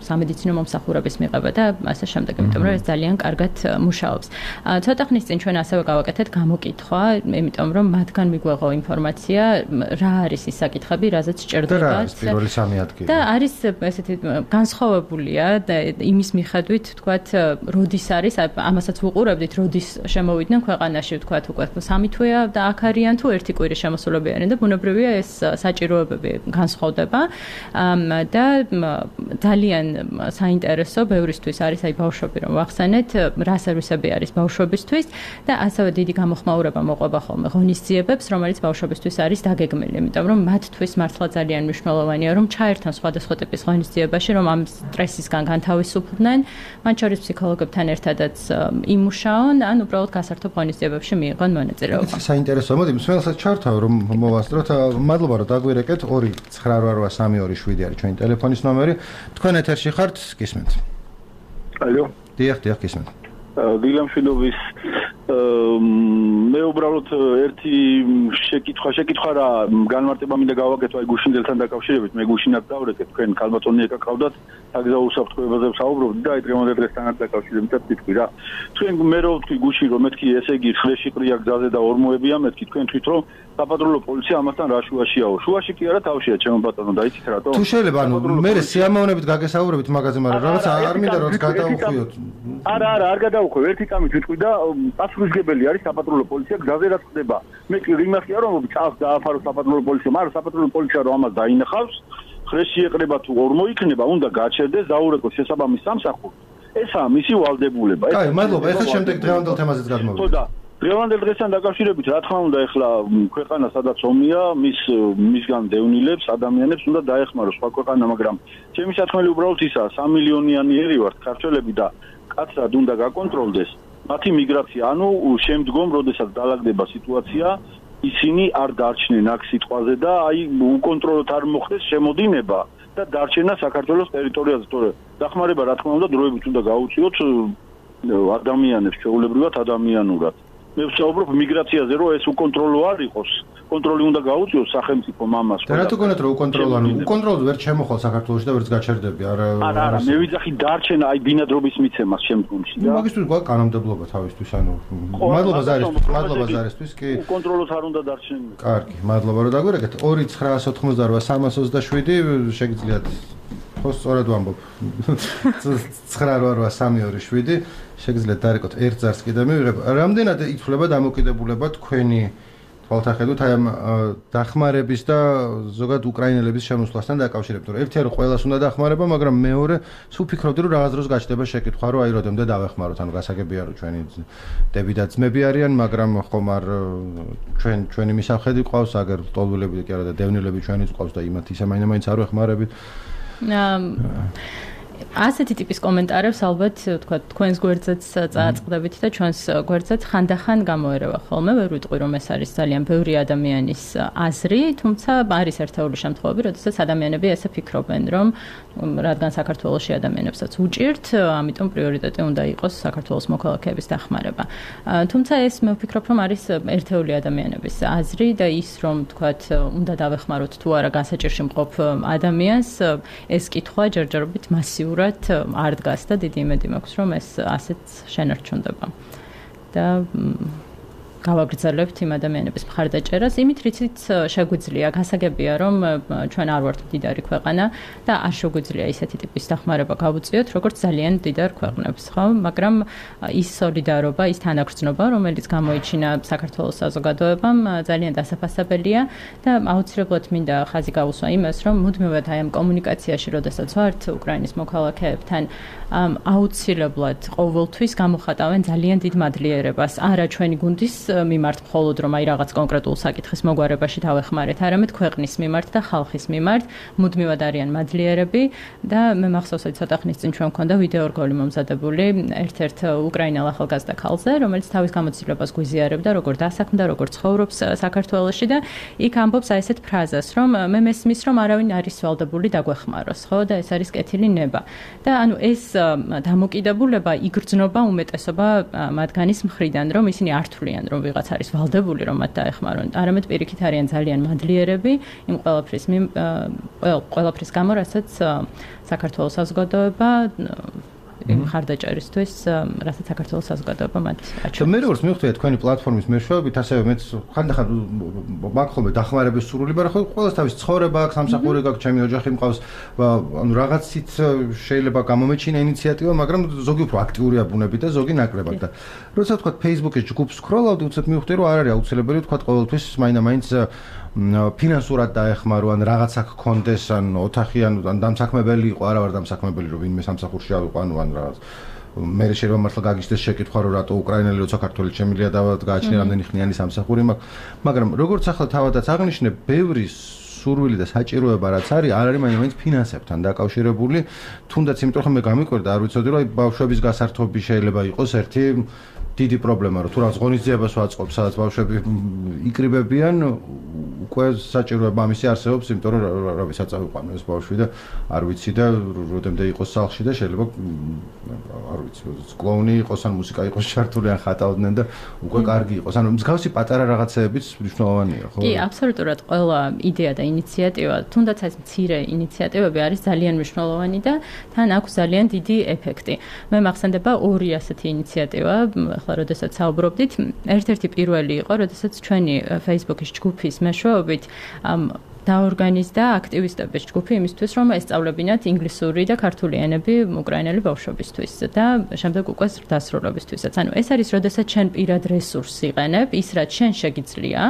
სამედიცინო მომსახურების მიღება და ასე შემდეგ, იმიტომ რომ ეს ძალიან კარგად მუშაობს. ცოტა ხნის წინ ჩვენ ასევე გავაკეთეთ გამოკითხვა, იმიტომ რომ მათგან მიგვეღო ინფორმაცია, რა არის ის საკითხები, რაზეც ჭირდებათ. და რა არის პირველი სამი ადგილი? და არის ესეთი განსხვავებულია და იმის მიხედვით, თქვათ, როდის არის, ამასაც ვუყურებდით, როდის შემოვიდნენ ქვეყანაში, ვთქვათ, უკვე სამი თვეა და აქ არიან თუ ერთი კვირის შემოსულები არიან და ბუნებრივია ეს საჭიროებები განსხვავდება და ძალიან საინტერესო ბევრისთვის არის აი ბავშვები რომ ვახსენეთ, რა სერვისები არის ბავშვებისთვის და ასევე დიდი გამოხმაურება მოყვება ხოლმე ღონისძიებებს, რომელიც ბავშვებისთვის არის დაგეგმილი, იმიტომ რომ მათთვის მართლა ძალიან მნიშვნელოვანია რომ ჩაერთონ სხვადასხვა ტიპის ღონისძიებაში, რომ ამ სტრესისგან განთავისუფლდნენ, მათ შორის ფსიქოლოგებთან ერთადაც იმუშაონ, ან უბრალოდ გასართობ ღონისძიებებში მიიღონ მონაწილეობა. საინტერესოა, მოდი მსმენელსაც ჩართავ, რომ მოვასწროთ. მადლობა, რომ დაგვირეკეთ. ორი ცხრა რვა რვა სამი ორი შვიდი არის ჩვენი ტელეფონის ნომერი. თქვენ ეთერში ხართ, გისმენთ. ალო. დიახ, დიახ, გისმენთ. დილამშვიდობის მე უბრალოდ ერთი შეკითხვა შეკითხვა რა განმარტება მინდა გავაკეთო აი გუშინდელთან დაკავშირებით მე გუშინად დავრეკე თქვენ ქალბატონი ეკა ყავდათ საგზაო უსაფრთხოებაზე ვსაუბრობთ და აი დღევანდელ დღესთან დაკავშირებით თქვი რა თქვენ მე რო ვთქვი გუში რომ მეთქი ესე იგი ხრეში ყრია გზაზე და ორმოებია მეთქი თქვენ თვით რომ საპატრულო პოლიცია ამასთან რა შუაშიაო შუაში კი არა თავშია ჩემო ბატონო და იცით რატო თუ შეიძლება ანუ მე სიამოვნებით გაგესაუბრებით მაგაზე მაგრამ რაღაც არ მინდა რომ გადაუხვიოთ არა არა არ გადაუხვევ ერთი კამით ვიტყვი და პასუხისგებელი არის საპატრულო პოლიცია გზაზე რაც ხდება მე კი იმახია რომ წავს დააფარო საპატრულო პოლიცია მაგრამ საპატრულო პოლიცია რომ ამას დაინახავს ხრეში ეყრება თუ ორმო იქნება უნდა გაჩერდეს დაურეკოს შესაბამის სამსახურს ესაა მისი ვალდებულება აი მადლობა ეხლა შემდეგ დღევანდელ თემაზეც გადმოვიდეთ ხო და დღევანდელ დღესთან დაკავშირებით რა თქმა უნდა ეხლა ქვეყანა სადაც ომია მის მისგან დევნილებს ადამიანებს უნდა დაეხმაროს სხვა ქვეყანა მაგრამ ჩემი საქმე უბრალოდ ისაა სამი მილიონიანი ერი ვართ ქართველები და კაცრად უნდა გაკონტროლდეს მათი მიგრაცია ანუ შემდგომ როდესაც დაალაგდება სიტუაცია ისინი არ დარჩნენ აქ სიტყვაზე და აი უკონტროლოდ არ მოხდეს შემოდინება და დარჩენა საქართველოს ტერიტორიაზე თორე დახმარება რა თქმა უნდა დროებით უნდა გაუწიოთ ადამიანებს ჩვეულებრივად ადამიანურად მე ვსაუბრობ მიგრაციაზე რომ ეს უკონტროლო არ იყოს კონტროლი უნდა გაუწიოს სახელმწიფო მამას და რატო გონათ რომ უკონტროლო ანუ უკონტროლოდ ვერ შემოხვალ საქართველოში და ვერც გაჩერდები არა არა არა მე ვიძახი დარჩენა აი ბინადრობის მიცემას შემდგომში და მაგისთვის გვაქვს კანონმდებლობა თავისთვის ანუ მადლობა ზარისთვის მადლობა ზარისთვის კი უკონტროლოდ არ უნდა დარჩენილ კარგი მადლობა რომ დაგვირეკეთ ორი ცხრაას ოთხმოცდაოთხ სამას ოცდაშვიდი შეგიძლიათ ხო სწორად ვამბობ ცხრა რვა სამი ორი შვიდი შეგიძლიათ დარეკოთ ერთ ზარს კიდე მივიღებ რამდენად ითვლება დამოკიდებულება თქვენი თვალთახედვით აი ამ დახმარების და ზოგადად უკრაინელების შემოსვლასთან დაკავშირებით რომ ერთია რომ ყველას უნდა დახმარება მაგრამ მეორე სულ ფიქრობდი რომ რაღაც დროს გაჩნდება შეკითხვა რომ აი როდემდე დავეხმაროთ ანუ გასაგებია რომ ჩვენი დები და ძმები არიან მაგრამ ხომ არ ჩვენ ჩვენი მისავხედი ყავს აგერ ტოლვილები კი არა და დევნილები ჩვენიც ყავს და იმათ ისე მაინც არ ვეხმარებით ასეთი ტიპის კომენტარებს ალბათ თქვა თქვენს გვერდზეც წააწყდებით და ჩვენს გვერდზეც ხანდახან გამოერევა ხოლმე ვერ ვიტყვი რომ ეს არის ძალიან ბევრი ადამიანის აზრი თუმცა არის ერთეული შემთხვევები როდესაც ადამიანები ესე ფიქრობენ რომ რადგან საქართველოში ადამიანებსაც უჭირთ ამიტომ პრიორიტეტი უნდა იყოს საქართველოს მოქალაქეების დახმარება თუმცა ეს მე ვფიქრობ რომ არის ერთეული ადამიანების აზრი და ის რომ თქვა უნდა დავეხმაროთ თუ არა გასაჭირში მყოფ ადამიანს ეს კითხვა ჯერჯერობით მასიურად არ დგას და დიდი იმედი მაქვს რომ ეს ასეც შენარჩუნდება და გავაგრძელებთ იმ ადამიანების მხარდაჭერას იმით რიცით შეგვიძლია გასაგებია რომ ჩვენ არ ვართ მდიდარი ქვეყანა და არ შეგვიძლია ისეთი ტიპის დახმარება გავუწიოთ როგორც ძალიან მდიდარ ქვეყნებს ხო მაგრამ ის სოლიდარობა ის თანაგრძნობა რომელიც გამოიჩინა საქართველოს საზოგადოებამ ძალიან დასაფასებელია და აუცილებლად მინდა ხაზი გავუსვა იმას რომ მუდმივად აი ამ კომუნიკაციაში როდესაც ვართ უკრაინის მოქალაქეებთან აუცილებლად ყოველთვის გამოხატავენ ძალიან დიდ მადლიერებას არა ჩვენი გუნდის მიმართ მხოლოდ რომ აი რაღაც კონკრეტულ საკითხის მოგვარებაში დავეხმარეთ, არამედ ქვეყნის მიმართ და ხალხის მიმართ მუდმივად არიან მადლიერები და მე მახსოვს აი ცოტა ხნის წინ ჩვენ მქონდა ვიდეო რგოლი მომზადებული ერთ-ერთ უკრაინელ ახალგაზრდა ქალზე, რომელიც თავის გამოცდილებას გვიზიარებდა, როგორ დასაქმდა, როგორ ცხოვრობს საქართველოში და იქ ამბობს აი ესეთ ფრაზას, რომ მე მესმის რომ არავინ არის ვალდებული დაგვეხმაროს, ხო და ეს არის კეთილი ნება. და ანუ ეს დამოკიდებულება იგრძნობა უმეტესობა მათგანის მხრიდან, რომ ისინი არ თვლიან რომ ვიღაც არის ვალდებული რომ მათ დაეხმარონ. არამედ პირიქით არიან ძალიან მადლიერები იმ ყველაფრის ყველაფრის გამო, რასაც საქართველოს საზოგადოება მხარდაჭერისთვის, რასაც საქართველოს საზოგადოება მათ აჩვენებს. მე როგორც მივხვდი თქვენი პლატფორმის მეშვეობით, ასევე მეც ხანდახან მაგხოლმე დახმარების სურვილი, მაგრამ ხო ყველას თავის ცხოვრება აქვს, სამსახური გაქვს, ჩემი ოჯახი მყავს, ანუ რაღაცით შეიძლება გამომეჩინა ინიციატივა, მაგრამ ზოგი უფრო აქტიურია ბუნებით და ზოგი ნაკლებად და როცა თქვა Facebook-ის ჯგუფს სკროლავდი, უცებ მივხვდი რომ არ არის აუცილებელი თქვა ყოველთვის მაინდა-მაინც ფინანსურად დაეხმარო ან რაღაცა გქონდეს ან ოთახი ან დამსაქმებელი იყო, არა ვარ დამსაქმებელი რომ ვინმე სამსახურში ავიყო ანუ ან რაღაც მე შეიძლება მართლა გაგიჩნდეს შეკითხვა რომ რატო უკრაინელი როცა საქართველოს შემილია და გააჩნია რამდენი ხნიანი სამსახური მაქვს, მაგრამ როგორც ახლა თავადაც აღნიშნე, ბევრი სურვილი და საჭიროება რაც არის, არ არის მაინც ფინანსებთან დაკავშირებული, თუნდაც იმიტომ რომ მე გამიკვირდა, არ ვიცოდი რომ აი ბავშვების გასართობი შეიძლება იყოს ერთი დიდი პრობლემა რომ თუ რაღაც ღონისძიებას ვაწყობ, სადაც ბავშვები იკრიბებიან, უკვე საჭიროა ამისი არსებობს, იმიტომ რომ რა ვიცი, საწავიყვანო ეს ბავშვი და არ ვიცი და როდემდე იყოს სახლში და შეიძლება არ ვიცი, კლოუნი იყოს ან მუსიკა იყოს ჩართული ან ხატავდნენ და უკვე კარგი იყოს. ანუ მსგავსი პატარა რაღაცეებიც მნიშვნელოვანია, ხო? კი, აბსოლუტურად ყველა იდეა და ინიციატივა, თუნდაც ეს მცირე ინიციატივები არის ძალიან მნიშვნელოვანი და თან აქვს ძალიან დიდი ეფექტი. მე მახსენდება ორი ასეთი ინიციატივა, ახლა როდესაც საუბრობდით, ერთ-ერთი პირველი იყო, როდესაც ჩვენი Facebook-ის ჯგუფის მეშვეობით დაორგანიზდა აქტივისტების ჯგუფი იმისთვის, რომ ესწავლებინათ ინგლისური და ქართული ენები უკრაინელი ბავშვებისთვის და შემდეგ უკვე დასრულებისთვისაც. ანუ ეს არის, როდესაც შენ პირად რესურსს იყენებ, ის რაც შენ შეგიძლია,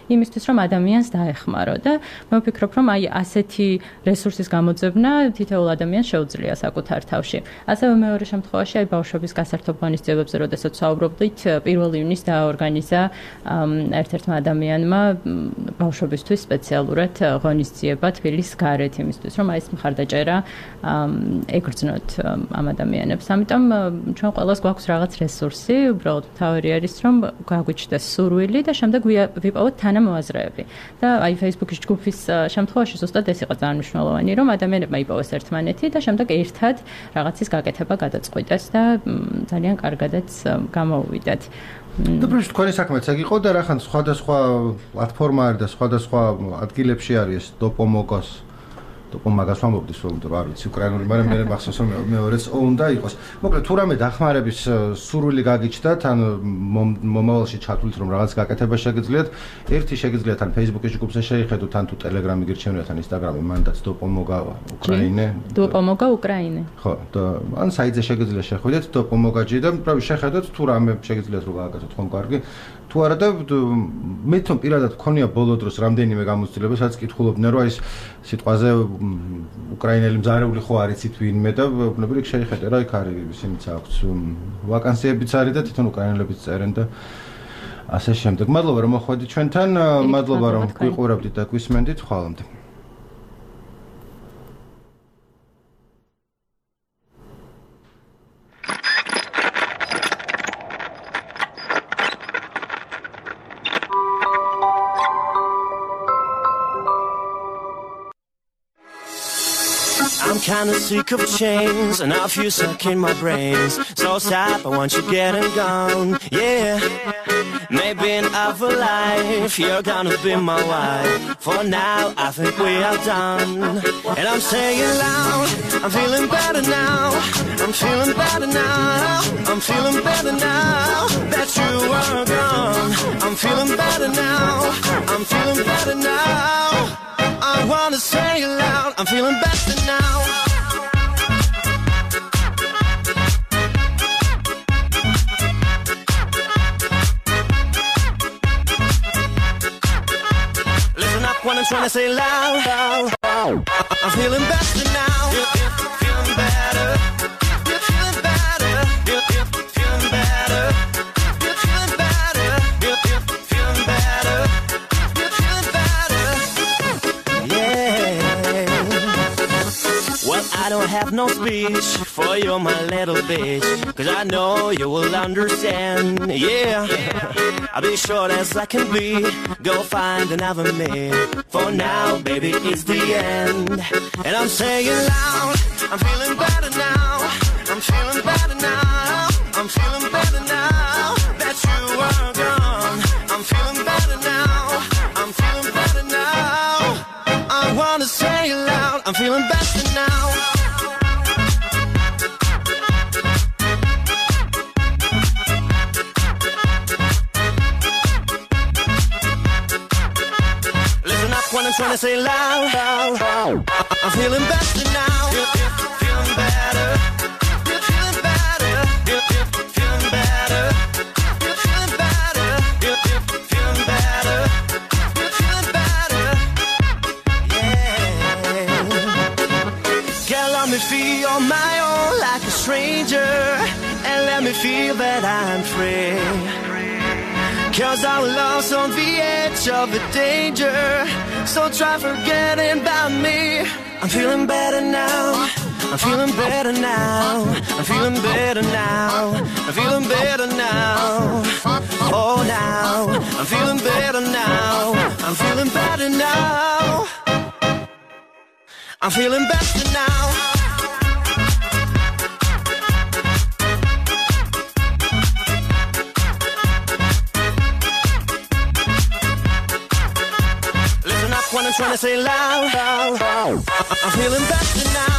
იმისთვის, რომ ადამიანს დაეხმარო და მე ვფიქრობ, რომ აი ასეთი რესურსის გამოძებნა თითოეულ ადამიანს შეუძლია საკუთარ თავში. ასევე მეორე შემთხვევაში აი ბავშვების გასართობ ღონისძიებებზე, როდესაც საუბრობდით, პირველ ივნისს დაორგანიზა ერთ-ერთმა ადამიანმა ბავშვებისთვის სპეციალურად ღონისძიება თბილისის გარეთ იმისთვის, რომ აი ეს მხარდაჭერა ეგრძნოთ ამ ადამიანებს. ამიტომ ჩვენ ყველას გვაქვს რაღაც რესურსი, უბრალოდ თავი არის, რომ გაგვიჩნდეს სურვილი და შემდეგ ვიპოვოთ თანამოაზრეები. და აი Facebook-ის ჯგუფის შემთხვევაში ზუსტად ეს იყო ძალიან მნიშვნელოვანი, რომ ადამიანებმა იპოვეს ერთმანეთი და შემდეგ ერთად რაღაცის გაკეთება გადაწყვიტეს და ძალიან კარგადაც გამოუვიდათ. და პრინციპში თქვენი საქმეც ეგ იყო და რახან სხვადასხვა პლატფორმა არის და სხვადასხვა ადგილებში არის დოპომოგოს დოპომაგას ვამბობთ, რომ არ ვიცი უკრაინული, მაგრამ მე მახსოვს რომ მეორეც უნდა იყოს. მოკლედ თუ რამე დახმარების სურვილი გაგიჩნდა, თან მომავალში ჩათვლით რომ რაღაც გაკეთება შეგიძლიათ, ერთი შეგიძლიათ თან Facebook-ის ჯგუფზე შეიხედოთ, თან თუ Telegram-ი გირჩევნიათ, თან Instagram-ი, მანდაც დოპომოგა უკრაინე. დოპომოგა უკრაინე. ხო, და ან საიტზე შეგიძლიათ შეხვიდეთ დოპომოგაჯი და pravი შეხედოთ თუ რამე შეგიძლიათ რომ გააკეთოთ ხომ კარგი. თუ არა და მე თვითონ პირადად მქონია ბოლო დროს რამდენიმე გამოცდილება, სადაც კითხულობდნენ რომ აი ეს სიტყვაზე უკრაინელი მზარეული ხო არ იცით ვინმე და ბუნებრივი შეიხედე რა იქ არის ისინიც აქვს ვაკანსიებიც არის და თვითონ უკრაინელებიც წერენ და ასე შემდეგ. მადლობა რომ მოხვედით ჩვენთან, მადლობა რომ გვიყურებდით და გვისმენდით. ხვალამდე. I'm kinda sick of chains and I feel stuck in my brains. So stop, I want you getting gone, yeah. Maybe in other life you're gonna be my wife. For now, I think we are done. And I'm saying loud, I'm feeling better now. I'm feeling better now. I'm feeling better now that you are gone. I'm feeling better now. I'm feeling better now. I wanna say it loud, I'm feeling better now. Listen up when I'm trying to say loud, loud, loud. I'm feeling better now. Feeling better. Feeling better. Feeling better. Feeling better. Feeling better. Well, I don't have no speech for you, my little bitch, 'cause I know you will understand, yeah. I'll be short as I can be, go find another me. For now, baby, it's the end. And I'm saying loud, I'm feeling better now. I'm feeling better now. I'm feeling better now that you are gone. I'm feeling better now. I'm feeling better now. I wanna say it loud, I'm feeling better now. Listen up when I'm trying to say loud, loud, loud. I'm feeling better now. Feeling better. Feeling better. Feeling better. Feeling better. Feeling better. Feeling better. Girl, let me feel on my own like a stranger, and let me feel that I'm free. 'Cause our love's on the edge of the danger, so try forgetting about me. I'm feeling better now. I'm I'm feeling better now. I'm feeling better now. I'm feeling better now. Oh, now I'm feeling better now. I'm feeling better now. I'm feeling better now. Listen up when I'm trying to say loud. I'm feeling better now.